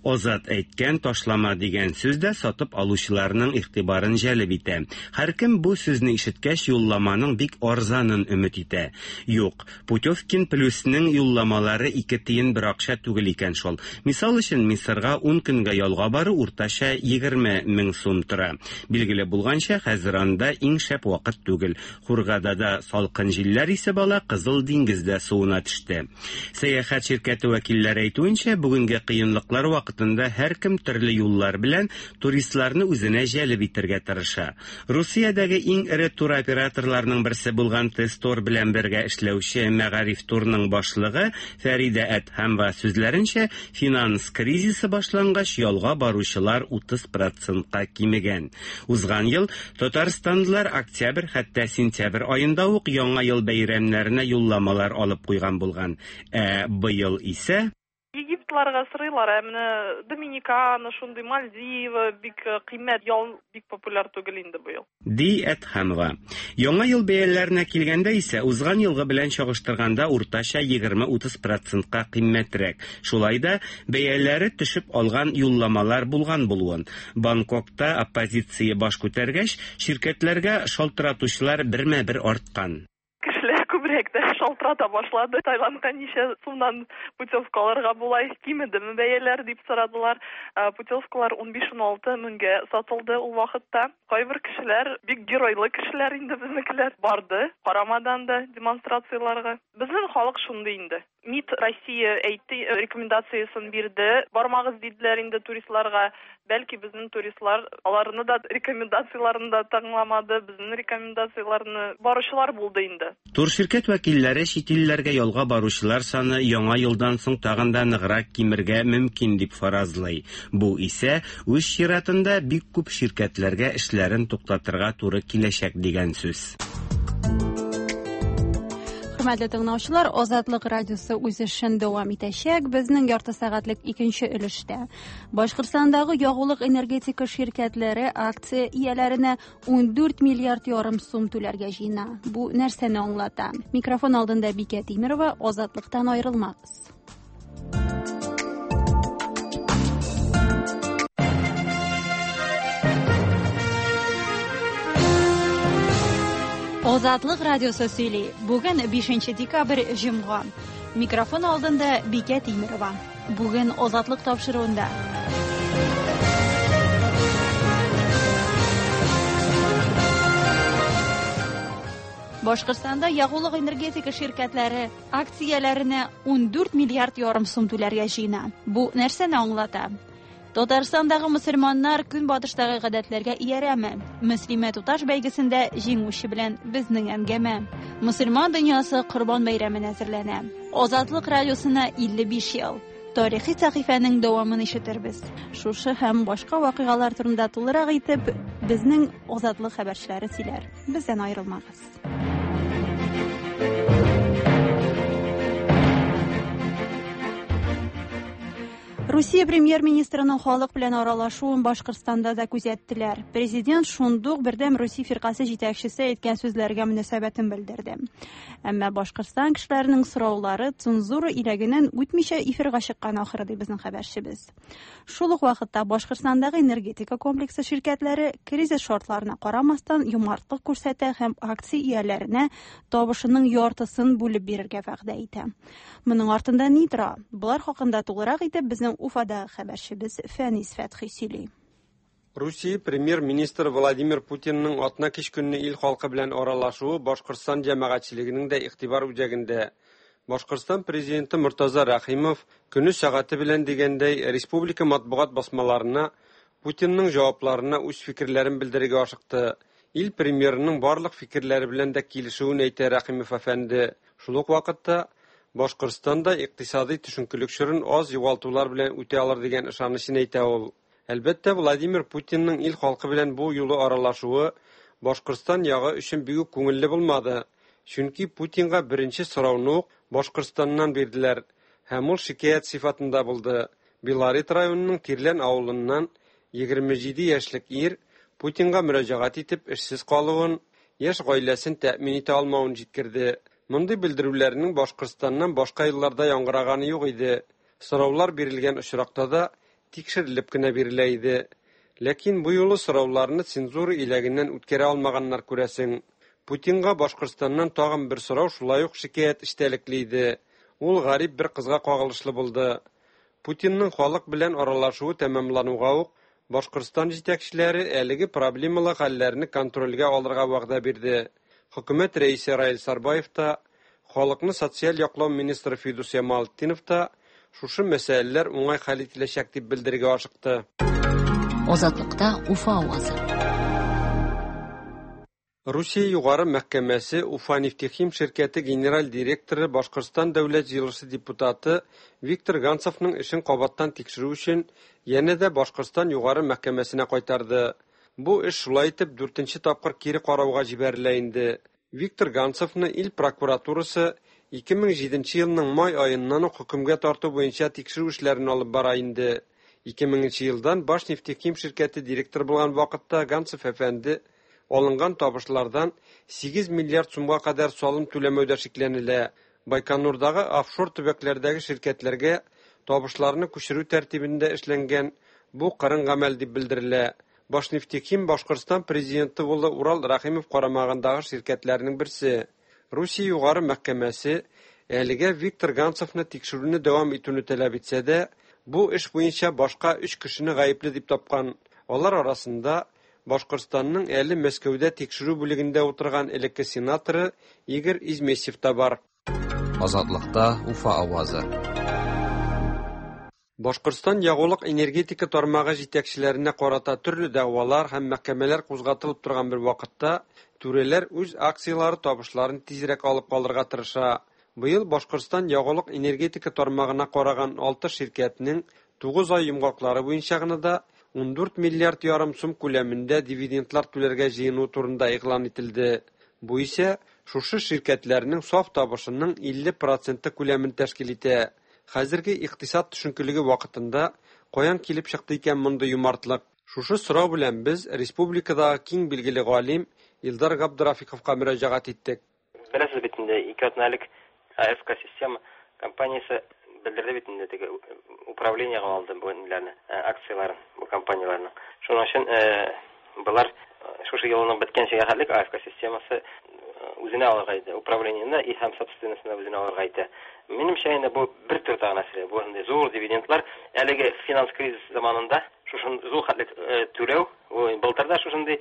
Азат әйткән ташлама дигән сүз дә сатып алучыларның игътибарын җәлеп итә. Һәркем бу сүзне ишеткәч юлламаның бик арзанын өмет итә. Юк, Путевкин плюсның юлламалары ике тиен бер акча түгел икән шул. Мисал өчен, Мисырга 10 көнгә ялга бару уртача 20 мең сум тора. Билгеле булганча, хәзер анда иң шәп вакыт түгел. Хургадада салкын җилләр исеп ала, Кызыл диңгез дә суына төште. Сәяхәт ширкәте вәкилләре әйтүенчә, бүгенге кыенлыклар вакытында һәркем төрле юллар белән туристларны үзенә җәлеп итәргә тырыша. Русиядәге иң эре туроператорларның берсе булган Тестор белән бергә эшләүче Мәгариф турның башлыгы Фәридә Әдһәмова сүзләренчә, финанс кризисы башлангач ялга баручылар 30 процентка кимегән. Узган ел татарстанлылар октябрь хәтта сентябрь аенда ук яңа ел бәйрәмнәренә юлламалар алып куйган булган. Ә быел исә Египетларга сорыйлар, ә менә Доминикана, шундый Мальдивы бик кыйммәт ял бик популяр түгел инде быел. Ди Әдһәмова. Яңа ел бәяләренә килгәндә исә, узган елгы белән чагыштырганда уртача 20-30 процентка кыйммәтрәк. Шулай да бәяләре төшеп алган юлламалар булган булуын. Бангкокта оппозиция баш күтәргәч, ширкәтләргә шалтыратучылар бермә-бер арткан. Кешеләр күбрәк тә шалтырата башлады. Таиландка ничә сумнан путевка алырга була, кимедеме бәяләр дип сорадылар. Путевкалар 15-16 меңгә сатылды ул вакытта. Кайбер кешеләр, бик геройлы кешеләр инде безнекеләр, барды, карамадан да демонстрацияләргә. Безнең халык шундый инде. МИД Россия әйтте, рекомендациясен бирде. Бармагыз диделәр инде туристларга. Бәлки безнең туристлар аларны да рекомендацияләрен дә тыңламады, безнең рекомендацияләрне баручылар булды инде. Турширкәт вәкилләре чит илләргә ялга баручылар саны яңа елдан соң тагын да ныграк кимергә мөмкин дип фаразлый. Бу исә үз чиратында бик күп ширкәтләргә эшләрен туктатырга туры киләчәк дигән сүз. Хөрмәтле тыңлаучылар, Азатлык радиосы үз эшен дәвам итәчәк. Безнең ярты сәгатьлек икенче өлештә Башкортстандагы ягулык энергетика ширкәтләре акция ияләренә 14 миллиард ярым сум түләргә җыена. Бу нәрсәне аңлата? Микрофон алдында Бикә Тимерова, Азатлыктан аерылмагыз. Азатлык радиосы сөйли. Бүген 5 декабрь җомга. Микрофон алдында Бикә Тимерова. Бүген Азатлык тапшыруында. Башкортстанда ягулык энергетика ширкәтләре акцияләренә 14 миллиард ярым сум түләргә җыена. Бу нәрсәне аңлата? Татарстандагы мөселманнар көнбатыштагы гадәтләргә иярәме? Мөслимә туташ бәйгесендә җиңүче белән безнең әңгәмә. Мөселман дөньясы Корбан бәйрәменә әзерләнә. Азатлык радиосына 55 ел. Тарихи сәхифәнең дәвамын ишетербез. Шушы һәм башка вакыйгалар турында тулырак итеп безнең Азатлык хәбәрчеләре сөйләр. Бездән аерылмагыз. Русия премьер-министрының халык белән аралашуын Башкортстанда да күзәттеләр. Президент шундук Бердәм Русия фиркасе җитәкчесе әйткән сүзләргә мөнәсәбәтен белдерде. Әмма Башкортстан кешеләренең сораулары цензура иләгеннән үтмичә эфирга чыккан ахыры, ди безнең хәбәрчебез. Шул ук вакытта Башкортстандагы энергетика комплексы ширкәтләре кризис шартларына карамастан юмартлык күрсәтә һәм акция ияләренә табышының яртысын бүлеп бирергә вәгъдә итә. Моның артында ни тора? Болар хакында тулырак итеп безнең Уфада хәбәрчебез Фәнис Фәтхи сөйли. Русия премьер-министры Владимир Путинның атна кич көнне ил халкы белән аралашуы Башкортстан җәмәгатьчелегенең дә игътибар үзәгендә. Башкортстан президенты Мортаза Рәхимов көне сәгате белән дигәндәй республика матбугат басмаларына Путинның җавапларына үз фикерләрен белдерергә ашыкты. Ил премьерының барлык фикерләре белән дә килешүен әйтә Рәхимов әфәнде. Шул ук вакытта Башкортстан да икътисади төшенкелек чорын аз югалтулар белән үтә алыр дигән ышанычын әйтә ул. Әлбәттә, Владимир Путинның ил халкы белән бу юлы аралашуы Башкортстан ягы өчен бик күңелле булмады. Чөнки Путинга беренче сорауны ук Башкортстаннан бирделәр һәм ул шикаять сыйфатында булды. Белорет районының Тирлән авылыннан 27 яшьлек ир Путинга мөрәҗәгать итеп эшсез калуын, яшь гаиләсен тәэмин итә алмавын җиткерде. Мондый белдерүләрнең Башкортстаннан башка елларда яңгыраганы юк иде. Сораулар бирелгән очракта да тикшерелеп кенә бирелә иде. Ләкин бу юлы сорауларны цензура иләгеннән үткәрә алмаганнар күрәсең. Путинга Башкортстаннан тагын бер сорау шулай ук шикаять эчтәлекле иде. Ул гарип бер кызга кагылышлы булды. Путинның халык белән аралашуы тәмамлануга ук Башкортстан җитәкчеләре әлеге проблемалы хәлләрне контрольгә алырга вәгъдә бирде. Хөкүмәт рәисе Раил Сарбаев та, халыкны социаль яклау министры Фидус Ямалтдинов та шушы мәсьәләләр уңай хәл ителәчәк дип белдерергә ашыкты. Азатлыкта Уфа авазы. Русия югары мәхкәмәсе Уфа нефтехим ширкәте генераль директоры Башкортстан дәүләт җыелышы депутаты Виктор Ганцевның эшен кабаттан тикшерү өчен янә дә Башкортстан югары мәхкәмәсенә кайтарды. Бу эш шулай итеп дүртенче тапкыр кире карауга җибәрелә инде. Виктор Ганцевны ил прокуратурасы 2007 елның май аеннан ук хөкемгә тарту буенча тикшерү эшләрен алып бара инде. 2000 елдан Башнефтехим ширкәте директоры булган вакытта Ганцев әфәнде алынган табышлардан 8 миллиард сумга кадәр салым түләмәүдә шикләнелә. Байконурдагы офшор төбәкләрдәге ширкәтләргә табышларны күчерү тәртибендә эшләнгән бу кырын гамәл дип белдерелә. Башнефтехим Башкортстан президенты улы Урал Рәхимов карамагындагы ширкәтләрнең берсе. Русия югары мәхкәмәсе әлегә Виктор Ганцевны тикшерүне дәвам итүне таләп итсә дә, бу эш буенча башка 3 кешене гаепле дип тапкан. Алар арасында Башкортстанның әле Мәскәүдә тикшерү бүлегендә утырган элекке сенаторы Игорь Измесьев та бар. Азатлыкта Уфа авазы. Башкортстан ягулык-энергетика тармагы җитәкчеләренә карата төрле дәгъвалар һәм мәхкәмәләр кузгатылып торган бер вакытта, түрәләр үз акцияләре табышларын тизрәк алып калырга тырыша. Быел Башкортстан ягулык-энергетика тармагына караган алты ширкәтнең 9 ай йомгаклары буенча гына да 14 миллиард ярым сум күләмендә дивидендлар түләргә җыенуы турында игълан ителде. Бу исә шушы ширкәтләрнең саф табышының 50 проценты күләмен тәшкил итә. Хәзерге икътисад төшенкелеге вакытында каян килеп чыкты икән мондый юмартлык? Шушы сорау белән без республикадагы киң билгеле галим Илдар Габдрафиковка мөрәҗәгать иттек. Беләсез бит инде, 2 атна элек АФК Система компаниясе белдерде бит инде, теге управлениегә алды бу ниләрне, акцияләрен бу компанияләрнең. Шуның өчен болар шушы елның беткәнчегә хәтлек АФК системасы үзенә алырга итә, управлениене и һәм собственностьны үзенә алырга итә. Минемчә инде бу бер төр тагы нәрсә, бу инде зур дивидендлар әлеге финанс кризис заманында шушын зур хәтлек түләү, былтыр да шушындый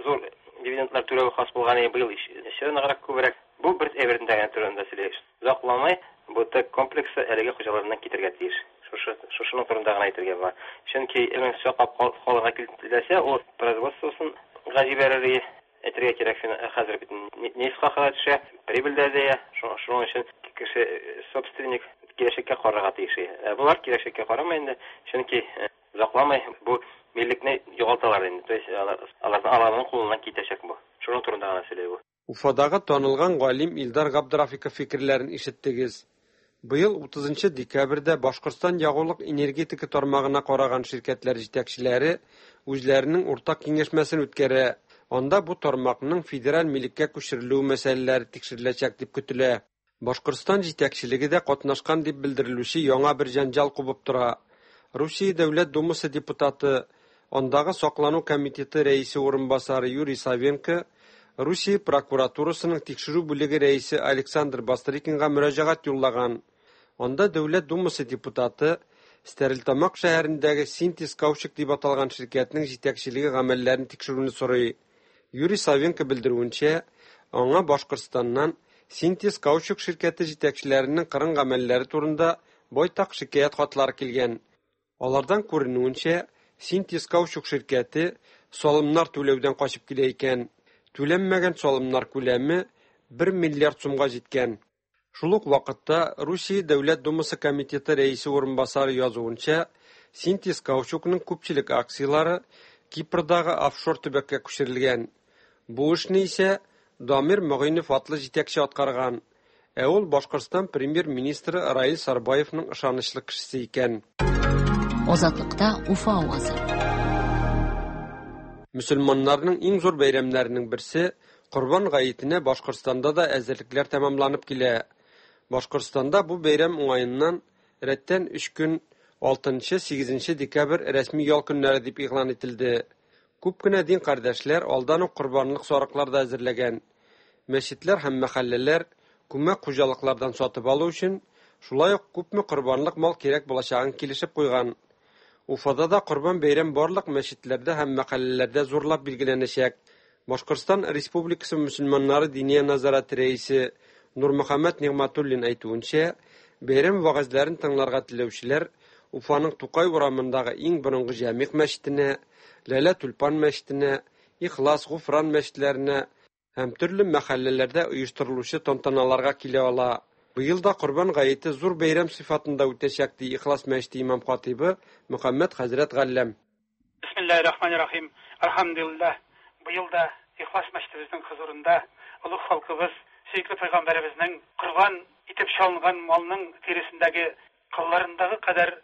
зур дивидендлар түләү хас булган, быел еще ныграк күбрәк. Бу бер әйбердән генә турында сөйли. Озакламый бу ТЭК комплексы әлеге хуҗаларыннан китергә тиеш. Шушы шушының турында гына әйтергә була. Чөнки ирнең саклап калырга теләсә, ул производствосын га җибәрер ие. Әйтергә кирәк, хәзер бит нефть хакы төшә, прибыль дә азая. Шуның өчен кеше собственник киләчәккә карарга тиеш. Ә болар киләчәккә карамый инде, чөнки озакламый бу миллекне югалталар инде. То есть алар аларның кулыннан китәчәк бу. Шуның турында гына сөйли бу. Уфадагы танылган галим Илдар Габдрафиков фикерләрен ишеттегез. Быел 30 декабрьдә Башкортстан ягулык-энергетика тармагына караган ширкәтләр җитәкчеләре үзләренең уртак киңәшмәсен үткәрә. Анда бу тармакның федераль милеккә күчерелүе мәсьәләләре тикшереләчәк дип көтелә. Башкортстан җитәкчелеге дә катнашкан дип белдерелүче яңа бер җәнҗал кубып тора. Русия Дәүләт Думасы депутаты, андагы саклану комитеты рәисе урынбасары Юрий Савенко Русия прокуратурасының тикшерү бүлеге рәисе Александр Бастрыкинга мөрәҗәгать юллаган. Анда Дәүләт Думасы депутаты Стәрлетамак шәһәрендәге Синтез Каучук дип аталган ширкәтнең җитәкчелеге гамәлләрен тикшерүне сорый. Юрий Савенко белдерүенчә, аңа Башкортстаннан Синтез Каучук ширкәте җитәкчеләренең кырын гамәлләре турында байтак шикаять хатлары килгән. Алардан күренүенчә, Синтез Каучук ширкәте салымнар түләүдән качып килә икән. Түләнмәгән салымнар күләме 1 миллиард сумга җиткән. Шул ук вакытта Русия Дәүләт Думасы комитеты рәисе урынбасары язуынча, Синтез Каучукның күпчелек акцияләре Кипрдагы офшор төбәккә күчерелгән. Бу эшне исә Дамир Могыйнов атлы җитәкче аткарган. Ә ул Башкортстан премьер-министры Раил Сарбаевның ышанычлы кешесе икән. Азатлыкта Уфа авазы. Мөселманнарның иң зур бәйрәмнәренең берсе Корбан гаетенә Башкортстанда да әзерлекләр тәмамланып килә. Башкортстанда бу бәйрәм уңаеннан рәттән 3 көн 6-8 декабрь рәсми ял көннәре дип игълан ителде. Күп кенә дин кардәшләр алдан ук корбанлык сарыклар да әзерләгән. Мәчетләр һәм мәхәлләләр күмәк хуҗалыклардан сатып алу өчен шулай ук күпме корбанлык мал кирәк булачагын килешеп куйган. Уфада да Корбан бәйрәм барлык мәчетләрдә һәм мәхәлләләрдә зурлап билгеләнәчәк. Башкортстан Республикасы мөселманнары Диния нәзарәте рәисе Нурмөхәммәт Нигъмәтуллин әйтүенчә, бәйрәм вәгазьләрен тыңларга теләүчеләр Уфаның Тукай урамындагы иң борынгы Җәмигъ мәчетенә, Ләлә Тюльпан мәчетенә, Ихлас, Гуфран мәчетләренә һәм төрле мәхәлләләрдә оештырылучы тантаналарга килә ала. Быел да Корбан гаете зур бәйрәм сыйфатында үтәчәк, ди Ихлас мәчете имам-хатыйбы Мөхәммәд хәзрәт Галләм. Бисмиллаһир-рахманир-рахим. Әлхәмдүлилләһ, быел да Ихлас мәчетебезнең хозурында олуг халкыбыз, сөекле пәйгамбәребезнең корбан итеп чалынган малның тиресендәге кылларындагы кадәр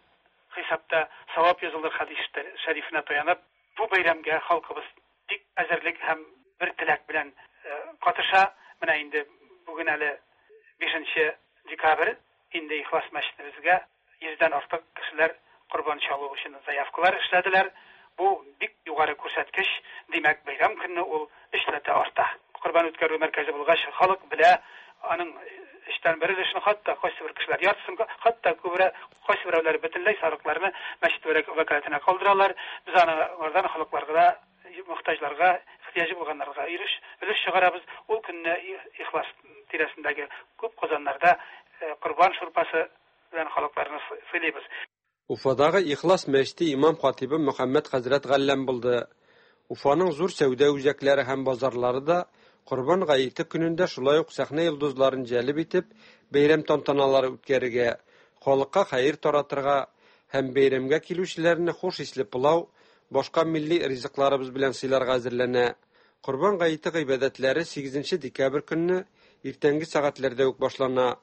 хисапта савап язылыр хәдис шәрифенә таянып, бу бәйрәмгә халкыбыз бик әзерлек һәм бер теләк белән катыша. Менә инде бүген әле 5 декабрь, инде Ихлас мәчетебезгә 100дән артык кешеләр корбан чалу өчен заявкалар эшләделәр. Бу бик югары күрсәткеч, димәк, бәйрәм көнне ул өчләтә арта. Корбан үткәрү мәркәзе булгач, халык белә, аның өчтән бер өлешен, хатта кайсы бер кешеләр яртысын, хатта күбрәк кайсы берәүләр бөтенләй сарыкларны мәчет вәкаләтенә калдыралар. Без аны алардан халыкларга, мохтаҗларга, ихтыяҗы булганнарга өлеш чыгарабыз. Ул көнне Ихлас тирәсендәге күп казаннарда халыкларны сыйлыйбыз. Уфадагы Ихлас мәчете имам-хатыйбы Мөхәммәд хәзрәт Галләм булды. Уфаның зур сәүдә үзәкләре һәм базарлары да Корбан гаете көнендә шулай ук сәхнә йолдызларын җәлеп итеп, бәйрәм тантаналары үткәрергә, халыкка хәер таратырга һәм бәйрәмгә килүчеләрне хуш исле пылау, башка милли ризыкларыбыз белән сыйларга әзерләнә. Корбан гаете гыйбадәтләре 8 декабрь көнне иртәнге сәгатьләрдә үк башлана.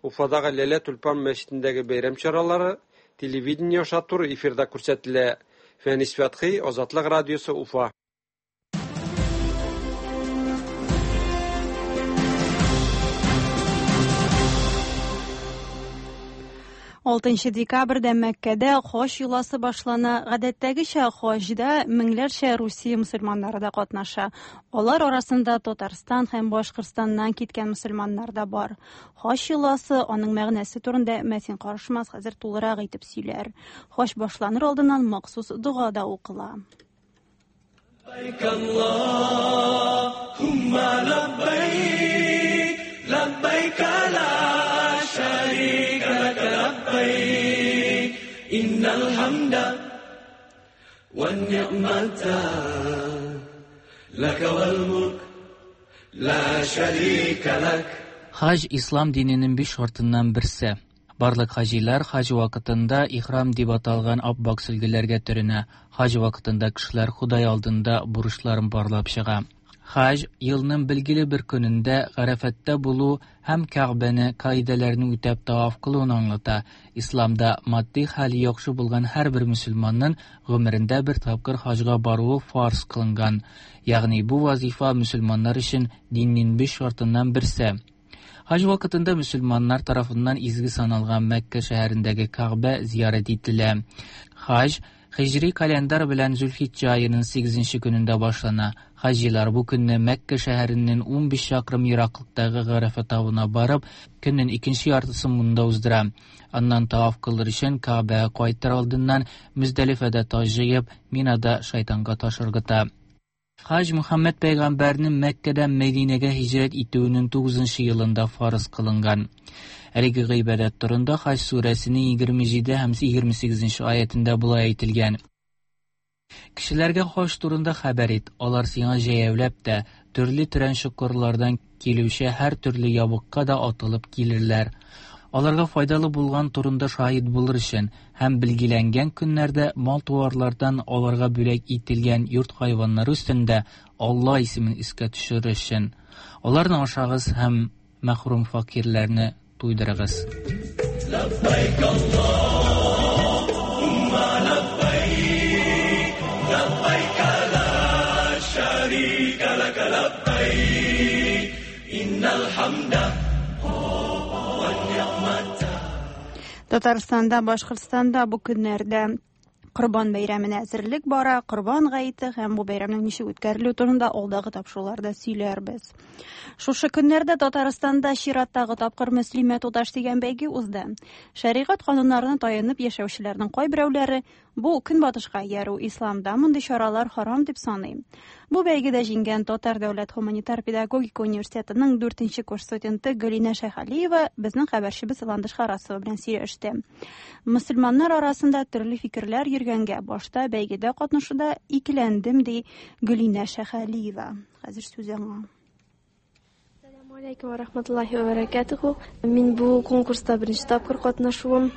Уфадагы Ләлә-Тюльпан мәчетендәге бәйрәм чаралары телевидение аша туры эфирда күрсәтелә. Фәнис Фәтхи, Азатлык радиосы, Уфа. Алтынчы декабрьдә Мәккәдә хаҗ йоласы башлана. Гадәттәгечә хаҗда меңләрчә Русия мөселманнары да катнаша. Алар арасында Татарстан һәм Башкортстаннан киткән мөселманнар да бар. Хаҗ йоласы, аның мәгънәсе турында Мәсин Карышмас хәзер тулырак итеп сөйләр. Хаҗ башланыр алдыннан махсус дога да укыла. لبيك اللهم لبيك لبيك لا شريك لك لبيك إن الحمد والنعمة لك والملك لا شريك لك Хаҗ ислам диненең биш шартыннан берсе. Барлык хаҗилар хаҗ вакытында ихрам дип аталган ап-ак сөлгеләргә төренә. Хаҗ вакытында кешеләр Ходай алдында бурычларын барлап чыга. Хаҗ елның билгеле бер көнендә Гарәфәттә булу һәм Кәгъбәне каидәләрне үтәп таваф кылуны аңлата. Исламда матди хәле яхшы булган һәрбер мөселманның гомерендә бер тапкыр хаҗга баруы фарз кылынган. Ягъни бу вазифа мөселманнар өчен диннең биш шартыннан берсе. Хаҗ вакытында мөселманнар тарафыннан изге саналган Мәккә шәһәрендәге Кәгъбә зиярәт ителә. Хаҗ һиҗри календарь белән Зөлхиҗҗә аеның 8 көнендә башлана. Хаҗилар бу көнне Мәккә шәһәреннән 15 чакрым ераклыктагы Гарәфә тавына барып, көннең икенче яртысын монда уздыра. Аннан таваф кылыр өчен Кәгъбәгә кайтыр алдыннан Мөздәлифәдә таш җыеп, Минада шайтанга таш ыргыта. Хаҗ Мөхәммәд пәйгамбәрнең Мәккәдән Мәдинәгә һиҗрәт итүенең 9 елында фарыз кылынган. Әлеге гыйбадәт турында Хаҗ сүрәсенең 27 һәм 28 аятендә болай әйтелгән: Кешеләргә хаҗ турында хәбәр ит, алар сиңа җәяүләп тә, төрле тирән чокырлардан килүче һәр төрле ябыкка да атылып килерләр. Аларга файдалы булган турында шаһит булыр өчен һәм билгеләнгән көннәрдә мал-туарлардан аларга бүләк ителгән йорт хайваннары өстендә Алла исемен искә төшерер өчен. Аларны ашагыз һәм мәхрүм фәкыйрьләрне туйдырыгыз. لبيك اللهم لبيك لبيك لا شريك لك لبيك إن الحمد والنعمة Татарстанда, Башкортстанда бу көннәрдә Корбан бәйрәменә әзерлек бара. Корбан гаете һәм бу бәйрәмнең ничек үткәрелүе турында алдагы тапшыруларда сөйләрбез. Шушы көннәрдә Татарстанда чираттагы тапкыр Мөслимә туташ дигән бәйге узды. Шәригать кануннарына таянып яшәүчеләрнең кайберәүләре бу көнбатышка иярү исламда мондый чаралар харам дип саный. Бу бәйгедә җиңгән Татар дәүләт һуманитар педагогика университетының 4 курс студенты Гөлинә Шәйхалиева безнең хәбәрчебез Ландыш Харасова белән сөйләште. Мөселманнар арасында төрле фикерләр йөргәнгә башта бәйгедә катнашуда икеләндем, ди Гөлинә Шәйхалиева. Хәзер сүз аңа. Ассаламу алейкум ва рахматуллахи ва баракатуху. Мин бу конкурста беренче тапкыр катнашуым.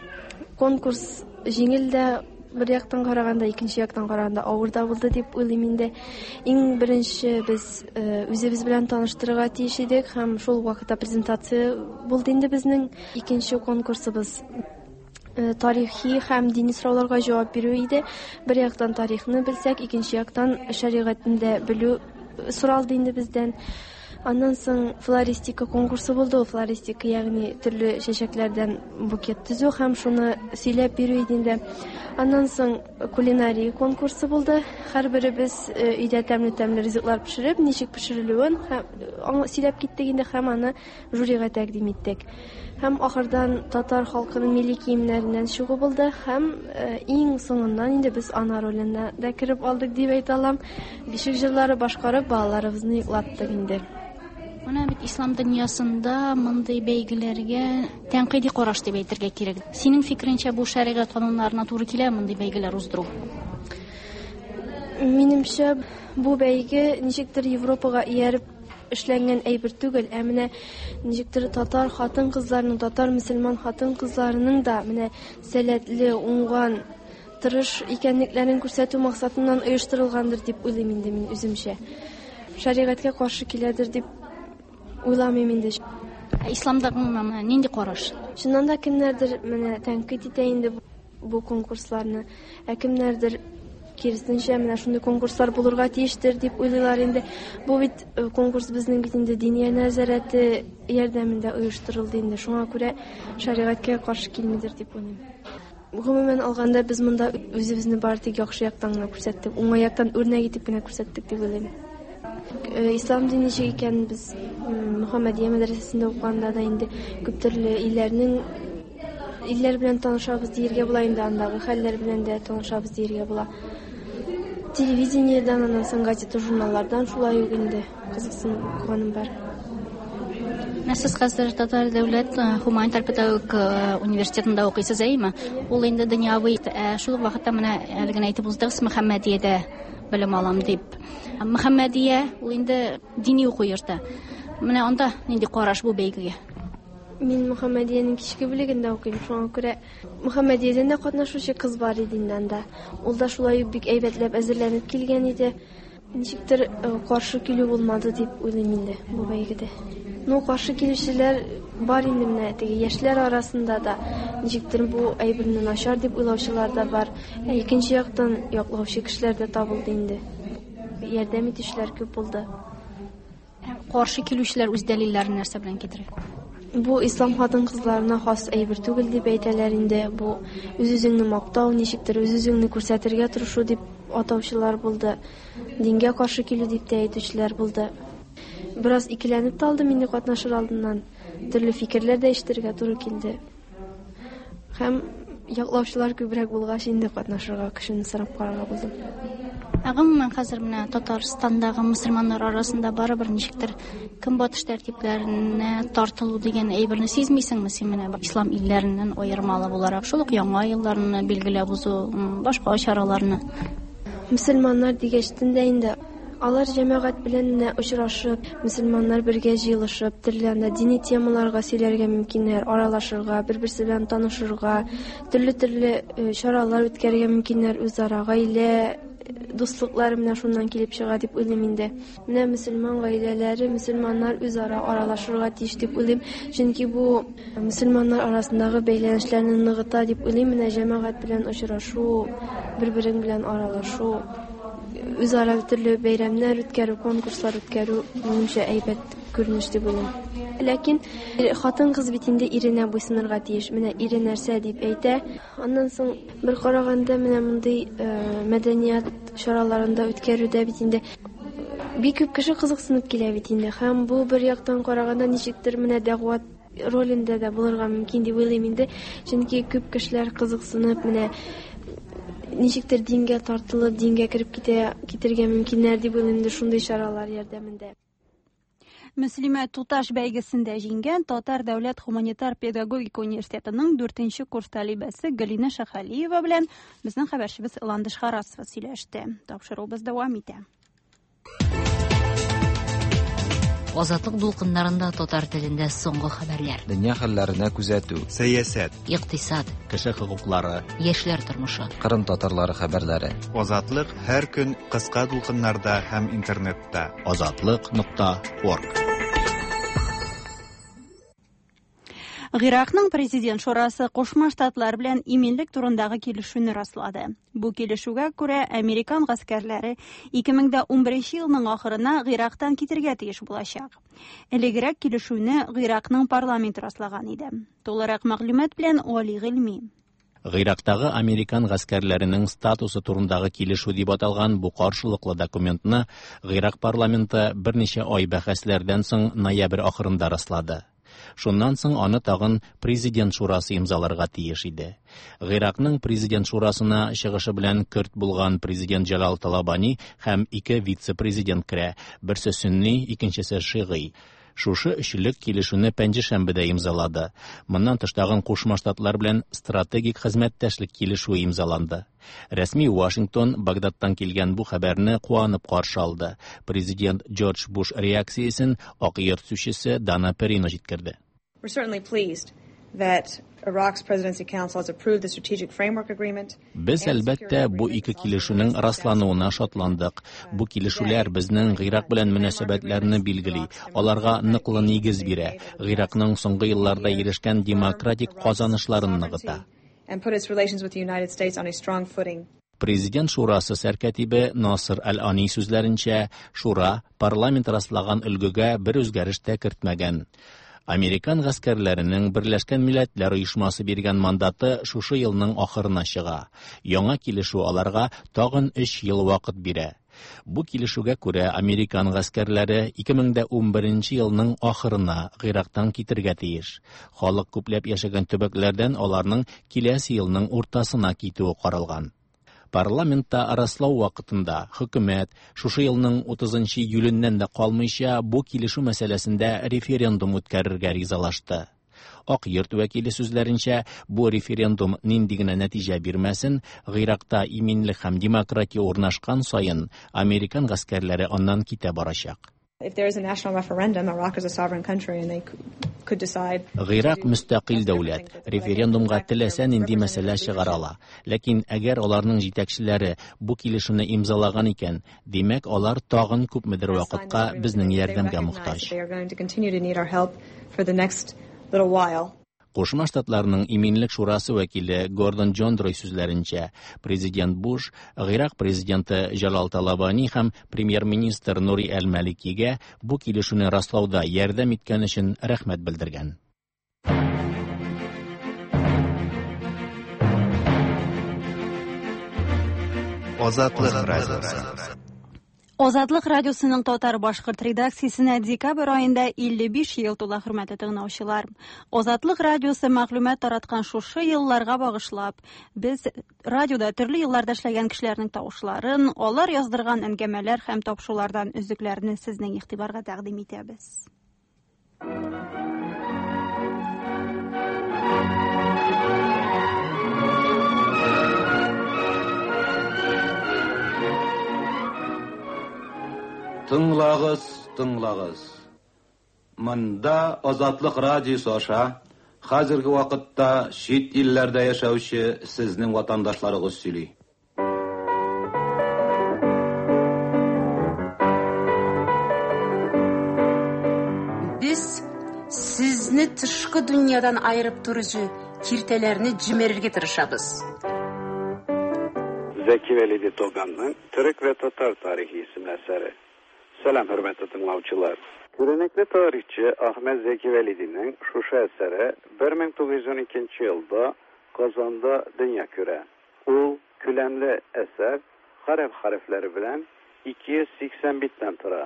Конкурс җиңел дә бер яктан караганда, икенче яктан караганда авыр да булды дип уйлыйм инде. Иң беренче без үзебез белән таныштырырга тиеш идек һәм шул вакытта презентация булды инде безнең. Икенче конкурсыбыз тарихи һәм дини сорауларга җавап бирү иде. Бер яктан тарихны белсәк, икенче яктан шәригатьне дә белү соралды инде бездән. Аннан соң флористика конкурсы булды. Ул флористика, ягъни төрле чәчәкләрдән букет төзү һәм шуны сөйләп бирү иде инде. Аннан соң кулинария конкурсы булды. Һәрберебез өйдә тәмле-тәмле ризыклар пешереп, ничек пешерелүен һәм сөйләп киттек инде һәм аны жюрига тәкъдим иттек. Һәм ахырдан татар халкының милли киемнәреннән чыгу булды һәм иң соңыннан инде без ана роленә дә кереп алдык дип әйтә алам. Бишек җырлары башкарып балаларыбызны йоклаттык инде. Менә бит ислам дөньясында мондый бәйгеләргә тәнкыйди караш дип әйтергә кирәк. Синең фикереңчә, бу шәригать кануннарына туры килә мондый бәйгеләр уздыру? Минемчә, бу бәйге ничектер Европага ияреп эшләнгән әйбер түгел, ә менә ничектер татар хатын-кызларының, татар мөселман хатын-кызларының да менә сәләтле, уңган, тырыш икәнлекләрен күрсәтү максатыннан оештырылгандыр дип уйлыйм инде мин үземчә. Шәригатькә каршы киләдер дип уйламыйм инде. Ә исламда гомумән нинди караш? Чыннан да кемнәрдер менә тәнкыйть итә инде бу конкурсларны, ә кемнәрдер киресенчә менә шундый конкурслар булырга тиештер дип уйлыйлар инде. Бу бит э, конкурс безнең бит инде Диния нәзарәте ярдәмендә оештырылды инде. Шуңа күрә шәригатькә каршы килмидер дип уйлыйм. Гомумән алганда, без монда үзебезне бары тик яхшы яктан гына күрсәттек, уңай яктан үрнәк итеп кенә күрсәттек дип уйлыйм. Э, ислам дине ничек икәнен без Мөхәммәдия мәдрәсәсендә укыганда да инде күп төрле илләрнең илләр белән танышабыз диергә була инде, андагы хәлләр белән дә танышабыз диергә була. Телевидениедән, аннан соң газета, журналлардан шулай ук инде кызыксынып укыганым бар. Менә сез хәзер Татар дәүләт э, гуманитар педагогик э, университетында укыйсыз, әйеме? Ул инде дөньяви, ә шул ук вакытта менә әле генә әйтеп уздыгыз, Мөхәммәдиядә белем алам дип. Мөхәммәдия ул инде дини уку йорты. Менә анда нинди караш бу бәйгегә? Мин Мөхәммәдиянең кичке бүлегендә укыйм, шуңа күрә Мөхәммәдиядән дә катнашучы кыз бар иде инде анда. Ул да шулай ук бик әйбәтләп әзерләнеп килгән иде. Ничектер э, каршы килү булмады дип уйлыйм инде бу бәйгедә. Ну, каршы килүчеләр бар инде менә теге яшьләр арасында да ничектер бу әйберне начар дип уйлаучылар да бар. Ә икенче яктан яклаучы кешеләр дә табылды инде. Ярдәм итүчеләр күп булды. Каршы килүчеләр үз дәлилләрен нәрсә белән китерә? Бу ислам хатын-кызларына хас әйбер түгел дип әйтәләр инде. Бу үз-үзеңне мактау, ничектер үз-үзеңне күрсәтергә тырышу дип атаучылар булды. Дингә каршы килү дип тә әйтүчеләр булды. Бераз икеләнеп тә алдым инде катнашыр алдыннан. Төрле фикерләр дә ишетергә туры килде. Һәм яклаучылар күбрәк булгач, инде катнашырга кешене сорап карарга булдым. Ә гомумән хәзер менә Татарстандагы мөселманнар арасында барыбер ничектер көнбатыш тәртипләренә тартылу дигән әйберне сизмисеңме син менә ислам илләреннән аермалы буларак шул ук яңа елларны билгеләп узу, башка чараларны? Мөселманнар дигәчтен дә инде Алар җәмәгать белән менә очрашып, мөселманнар бергә җыелышып, төрле анда дини темаларга сөйләргә мөмкиннәр, аралашырга, бер-берсе белән танышырга, төрле-төрле э, чаралар үткәрергә мөмкиннәр үзара, гаилә э, дуслыклары менә шуннан килеп чыга дип уйлыйм инде. Менә мөселман гаиләләре, мөселманнар үзара аралашырга тиеш дип уйлыйм, чөнки бу мөселманнар арасындагы бәйләнешләрне ныгыта дип уйлыйм. Менә җәмәгать белән очрашу, бер-берең белән аралашу. Үзара төрле бәйрәмнәр үткәрү, конкурслар үткәрү, минемчә, әйбәт күренеш дип уйлыйм. Ләкин хатын-кыз бит инде иренә буйсынырга тиеш. Менә ире нәрсә дип әйтә. Аннан соң бер караганда менә мондый э, мәдәният чараларында үткәрүдә бит инде бик күп кеше кызыксынып килә бит инде. Һәм бу бер яктан караганда ничектер менә дәгъват ролендә дә булырга мөмкин дип уйлыйм инде. Чөнки күп кешеләр кызыксынып, менә ничектер дингә тартылып, дингә кереп китә, китергә мөмкиннәр дип уйлыйм инде шундый чаралар ярдәмендә. Мөслимә туташ бәйгесендә җиңгән Татар дәүләт гуманитар педагогика университетының дүртенче курс талибәсе Галина Шәхалиева белән безнең хәбәрчебез Ландыш Харасова сөйләште. Тапшыруыбыз дәвам итә. Азатлык дулкыннарында татар телендә соңгы хәбәрләр. Дөнья хәлләренә күзәтү. Сәясәт. Икътисад. Кеше хокуклары. Яшьләр тормышы. Кырым татарлары хәбәрләре. Азатлык һәр көн кыска дулкыннарда һәм интернетта. Азатлык нокта орг. Гыйракның президент шурасы Кушма Штатлар белән иминлек турындагы килешүне раслады. Бу килешүгә күрә американ гаскәрләре 2011 елның ахырына Гыйрактан китергә тиеш булачак. Элегрәк килешүне Гыйракның парламенты раслаган иде. Тулырак мәгълүмат белән Али Гыйльми. Гыйрактагы американ гаскәрләренең статусы турындагы килешү дип аталган бу каршылыклы документны Гыйрак парламенты берничә ай бәхәсләрдән соң ноябрь ахырында раслады. Шуннан соң аны тагын президент шурасы имзаларга тиеш иде. Гыйракның президент шурасына чыгышы белән көрд булган президент Җәлал Талабани һәм ике вице-президент керә, берсе сөнни, икенчесе шигый. Шушы өчлек килешүне пәнҗешәмбедә имзалады. Моннан тыш тагын Кушма Штатлар белән стратегик хезмәттәшлек килешүе имзаланды. Рәсми Вашингтон Багдадтан килгән бу хәбәрне куанып каршы алды. Президент Джордж Буш реакциясен Ак Йорт сүзчесе Дана Перино җиткерде. We're certainly pleased that Iraq's Presidency Council has approved the Strategic Framework Agreement. Без, әлбәттә, бу ике килешүнең раслануына шатландык. Бу килешүләр безнең Гыйрак белән мөнәсәбәтләрне билгели, аларга ныклы нигез бирә, Гыйракның соңгы елларда ирешкән демократик казанышларын ныгыта. And put its relations with the United States on a strong footing. Президент шурасы сәркәтибе Насыр Әл-Ани сүзләренчә, шура парламент раслаган өлгегә бер үзгәреш тә кертмәгән. Американ гаскәрләренең Берләшкән Милләтләр Оешмасы биргән мандаты шушы елның ахырына чыга. Яңа килешү аларга тагын өч ел вакыт бирә. Бу килешүгә күрә американ гаскәрләре 2011 елның ахырына Гыйрактан китергә тиеш. Халык күпләп яшәгән төбәкләрдән аларның киләсе елның уртасына китүе каралган. Парламентта раслау вакытында хөкүмәт шушы елның 30 июленнән дә калмыйча бу килешү мәсьәләсендә референдум үткәрергә ризалашты. Ак Йорт вәкиле сүзләренчә, бу референдум нинди генә нәтиҗә бирмәсен, Гыйракта иминлек һәм демократия урнашкан саен американ гаскәрләре аннан китә барачак. If there is a national referendum, Iraq is a sovereign country and they could decide. Гыйрак мөстәкыйль дәүләт, референдумга теләсә нинди мәсьәлә чыгара ала. Ләкин әгәр аларның җитәкчеләре бу килешүне имзалаган икән, димәк, алар тагын күпмедер вакытка безнең ярдәмгә мохтаҗ. They are going to continue to need our help for the next little while. Кушма Штатларның Иминлек шурасы вәкиле Гордон Джондрой сүзләренчә, президент Буш Гыйрак президенты Җалал Талабани һәм премьер-министр Нури әл-Маликигә бу килешүне раслауда ярдәм иткән өчен рәхмәт белдергән. Азатлык радиосы. Азатлык радиосының татар-башкорт редакциясенә декабрь аенда 55 ел тула, хөрмәтле тыңлаучылар. Азатлык радиосы мәгълүмат тараткан шушы елларга багышлап, без радиода төрле елларда эшләгән кешеләрнең тавышларын, алар яздырган әңгәмәләр һәм тапшырулардан өзекләрне сезнең игътибарга тәкъдим итәбез. Тыңлагыз, тыңлагыз. Монда Азатлык радиосы аша хәзерге вакытта чит илләрдә яшәүче сезнең ватандашларыгыз сөйли. Без сезне тышкы дөньядан аерып торучы киртәләрне җимерергә тырышабыз. Зәки Велиди Тоганның Төрек вә татар тарихы исемле әсәре. Сәлам, хөрмәтле тыңлаучылар. Күренекле тарихчы Ахмед Зәки Вәлидинең шушы әсәре 1912 елда Казанда дөнья күрә. Ул күләмле әсәр гарәп хәрефләре белән 280 биттән тора.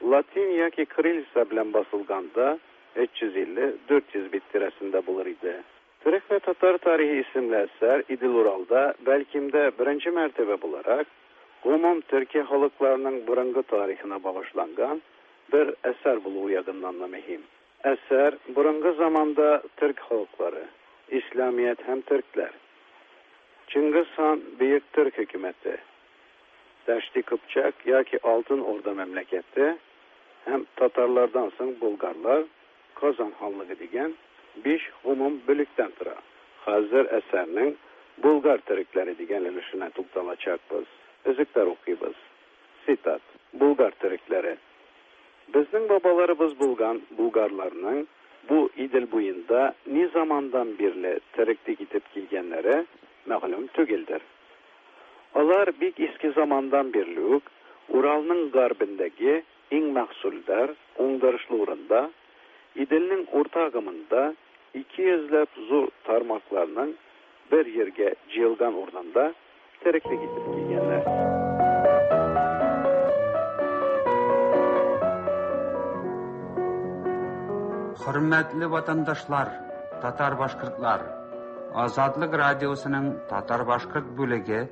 Латин яки кириллица белән басылганда 350-400 бит тирәсендә булыр иде. Төрек вә татар тарихы исемле әсәр Идел-Уралда бәлкем дә беренче мәртәбә буларак гомум төрки халыкларының борынгы тарихына багышланган бер әсәр булуы ягыннан да мөһим. Әсәр борынгы заманда төрк халыклары, исламият һәм төркләр, Чингиз хан Бөек Төрк хөкүмәте, Дәшти Кыпчак яки Алтын Урда мәмләкәте һәм татарлардан соң булгарлар, Казан ханлыгы дигән биш гомум бүлектән тора. Хәзер әсәрнең Булгар төрекләре дигән өлешенә тукталачакбыз. Өзекләр укыйбыз. Цитат. Булгар төрекләре. Безнең бабаларыбыз булган булгарларның бу Идел буенда ни замандан бирле тереклек итеп килгәннәре мәгълүм түгелдер. Алар бик иске замандан бирле үк Уралның гарбендәге иң мәхсүлдар, уңдырышлы урында, Иделнең урта агымында ике йөзләп зур тармакларның бер җиргә җыелган урынында тереклек итеп килгәннәр. Хөрмәтле ватандашлар, татар-башкортлар! Азатлык радиосының татар-башкорт бүлеге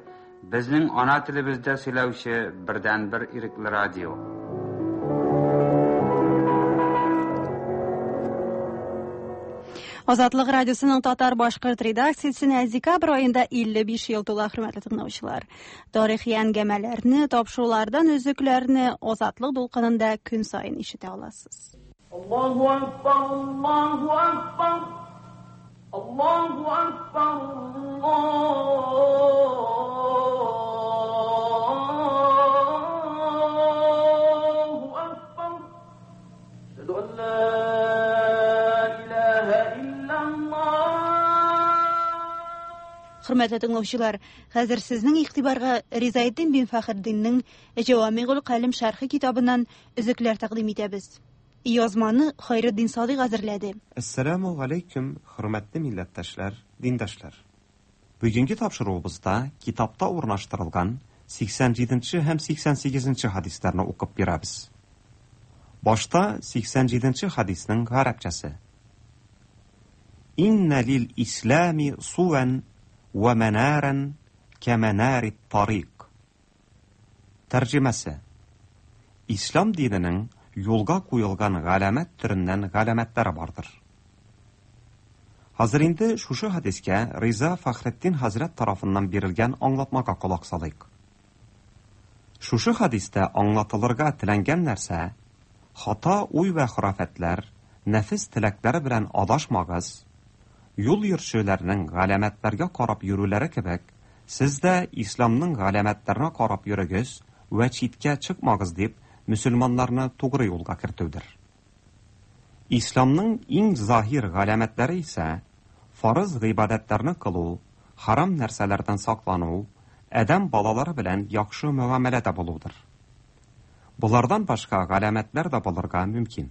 безнең ана телебездә сөйләүче бердәнбер ирекле радио. Азатлык радиосының татар-башкорт редакциясенә декабрь аенда 55 ел тула, хөрмәтле тыңлаучылар. Тарихи әңгәмәләрне, тапшырулардан өзекләрне Азатлык дулкынында көн саен ишетә аласыз. Аллаһу акбар, Аллаһу акбар. Аллаһу акбар, Аллаһу акбар. Әшһәду ан ла илаһа иллаллаһ. Хөрмәтле тыңлаучылар, хәзер сезнең игътибарга Ризаэддин бин Фәхретдиннең Җавамигул Калим шәрхе китабыннан өзекләр тәкъдим итәбез. Язманы Хайретдин Садыйк әзерләде. Әссәламү галәйкүм, хөрмәтле милләттәшләр, диндәшләр! Бүгенге тапшыруыбызда китапта урнаштырылган 87 нче һәм 88 нче хәдисләрне укып бирәбез. Башта 87 нче хәдиснең гарәпчәсе. Иннә лил ислами сувән вә мәнарән кәмәнарит тарик. Тәрҗемәсе. Ислам диненең юлга куелган галәмәт төреннән галәмәтләре бардыр. Хәзер инде шушы хәдискә Риза Фәхретдин хәзрәт тарафыннан бирелгән аңлатмага колак салыйк. Шушы хәдистә аңлатылырга теләнгән нәрсә, хата уй вә хорафәтләр, нәфес теләкләре белән адашмагыз, юл йөрүчеләрнең галәмәтләргә карап йөрүләре кебек, сез дә исламның галәмәтләренә карап йөрегез вә читкә чыкмагыз дип, мөселманнарны тугры юлга кертүдер. Исламның иң заһир галәмәтләре исә, фарыз гыйбадәтләрне кылу, харам нәрсәләрдән саклану, адәм балалары белән яхшы мөгамәләдә булудыр. Болардан башка галәмәтләр дә булырга мөмкин.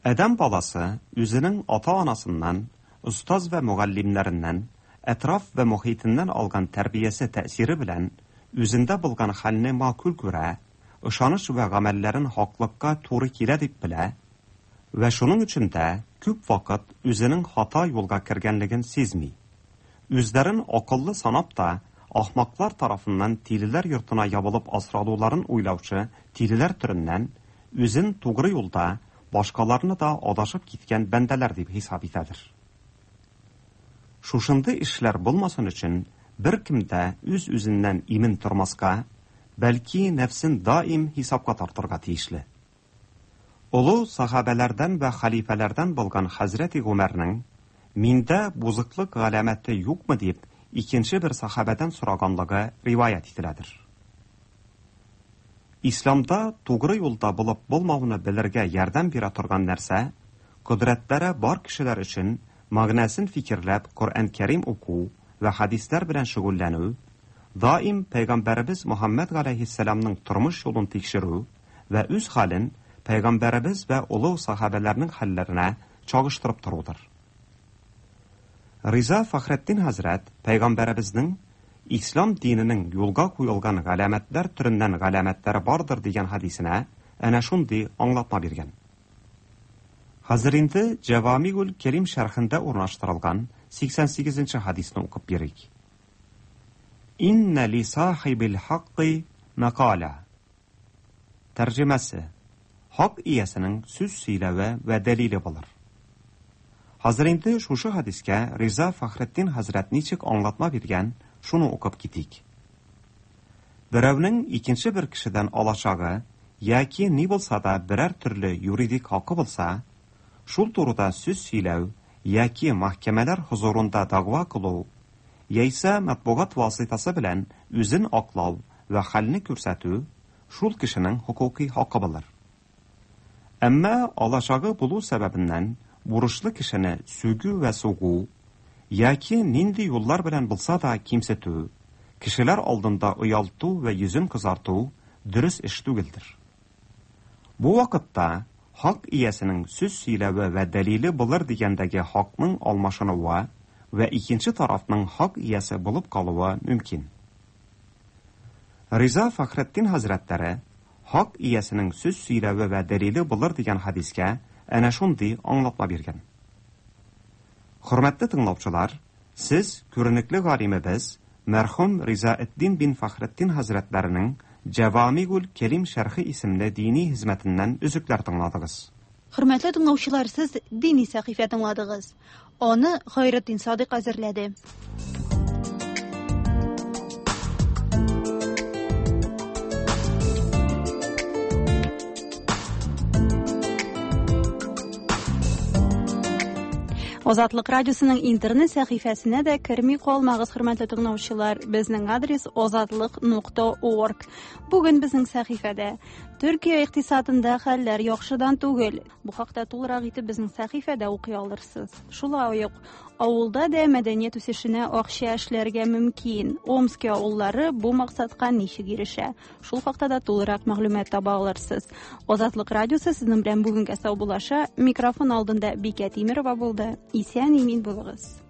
Адәм баласы үзенең ата-анасыннан, остаз вә мөгаллимнәреннән, әтраф вә мохитеннән алган тәрбиясе тәэсире белән үзендә булган хәлне макул күрә, ышаныч вә гамәлләрен хаклыкка туры килә дип белә вә шуның өчен дә күп вакыт үзенең хата юлга кергәнлеген сизми. Үзләрен акыллы санап та, ахмаклар тарафыннан тилеләр йортына ябылып асралуларын уйлаучы тилеләр төреннән үзен тугры юлда, башкаларны да адашып киткән бәндәләр дип хисап итәдер. Шушындый эшләр булмасын өчен беркем дә үз-үзеннән имин тормаска, бәлки нәфсен даим хисапка тартырга тиешле. Олы сахабәләрдән вә хәлифәләрдән булган хәзрәти Гомәрнең Миндә бузыклык галәмәте юкмы дип икенче бер сахабәдән сораганлыгы риваять ителәдер. Исламда тугры юлда булып булмауны белергә ярдәм бирә торган нәрсә, кодрәтләре бар кешеләр өчен мәгънәсен фикерләп Коръән Кәрим уку вә хәдисләр белән шөгыльләнү, даим пәйгамбәребез Мөхәммәд галәйһиссәламның тормыш юлын тикшерү вә үз хәлен пәйгамбәребез вә олуг сахабәләрнең хәлләренә чагыштырып торудыр. Риза Фәхретдин хәзрәт пәйгамбәребезнең ислам диненең юлга куелган галәмәтләр төреннән галәмәтләре бардыр дигән хәдисенә әнә шундый аңлатма биргән. Хәзер инде Җәвамигул Кәрим шәрхендә урнаштырылган 88 нче хәдисне укып бирик. Иннә ли сахибил хакки мәкаля. Тәрҗемәсе. Хак иясенең сүз сөйләве вә дәлиле булыр. Хәзер инде шушы хәдискә Риза Фәхретдин хәзрәт ничек аңлатма биргән, шуны укып китик. Берәүнең икенче бер кешедән алачагы яки ни булса да берәр төрле юридик хакы булса, шул турыда сүз сөйләү яки мәхкәмәләр хозурында дәгъва кылу, яисә матбугат васитасы белән үзен аклау вә хәлне күрсәтү шул кешенең хокукый хакы булыр. Әмма алачагы булу сәбәбеннән бурычлы кешене сүгү вә сугу яки нинди юллар белән булса да кимсетү, кешеләр алдында оялту вә йөзен кызарту дөрес эш түгелдер. Бу вакытта хак иясенең сүз сөйләве вә дәлиле булыр дигәндәге хакның алмашынуы вә икенче тарафның хак иясе булып калуы мөмкин. Риза Фәхретдин хәзрәтләре хак иясенең сүз сөйләве вә дәлиле булыр дигән хәдискә әнә шундый аңлатма биргән. Хөрмәтле тыңлаучылар, сез күренекле галимебез мәрхүм Ризаэддин бин Фәхретдин хәзрәтләренең Җәвамигул Кәлим шәрхе исемле дини хезмәтеннән өзекләр тыңладыгыз. Хөрмәтле тыңлаучылар, сез дини сәхифә тыңладыгыз. Аны Хайретдин Садыйк әзерләде. Азатлык радиосының интернет сәхифәсенә дә керми калмагыз, хөрмәтле тыңлаучылар. Безнең адрес azatliq.org. Бүген безнең сәхифәдә Төркия икътисадында хәлләр яхшыдан түгел. Бу хакта тулырак итеп безнең сәхифәдә укый алырсыз. Шулай ук авылда да мәдәният үсешенә акча эшләргә мөмкин. Омски авыллары бу максатка ничек ирешә? Шул хакта да тулырак мәгълүмат таба алырсыз. Азатлык радиосы сезнең белән бүгенгә саубуллаша. Микрофон алдында Бикә Тимерова булды. Исән имин булыгыз.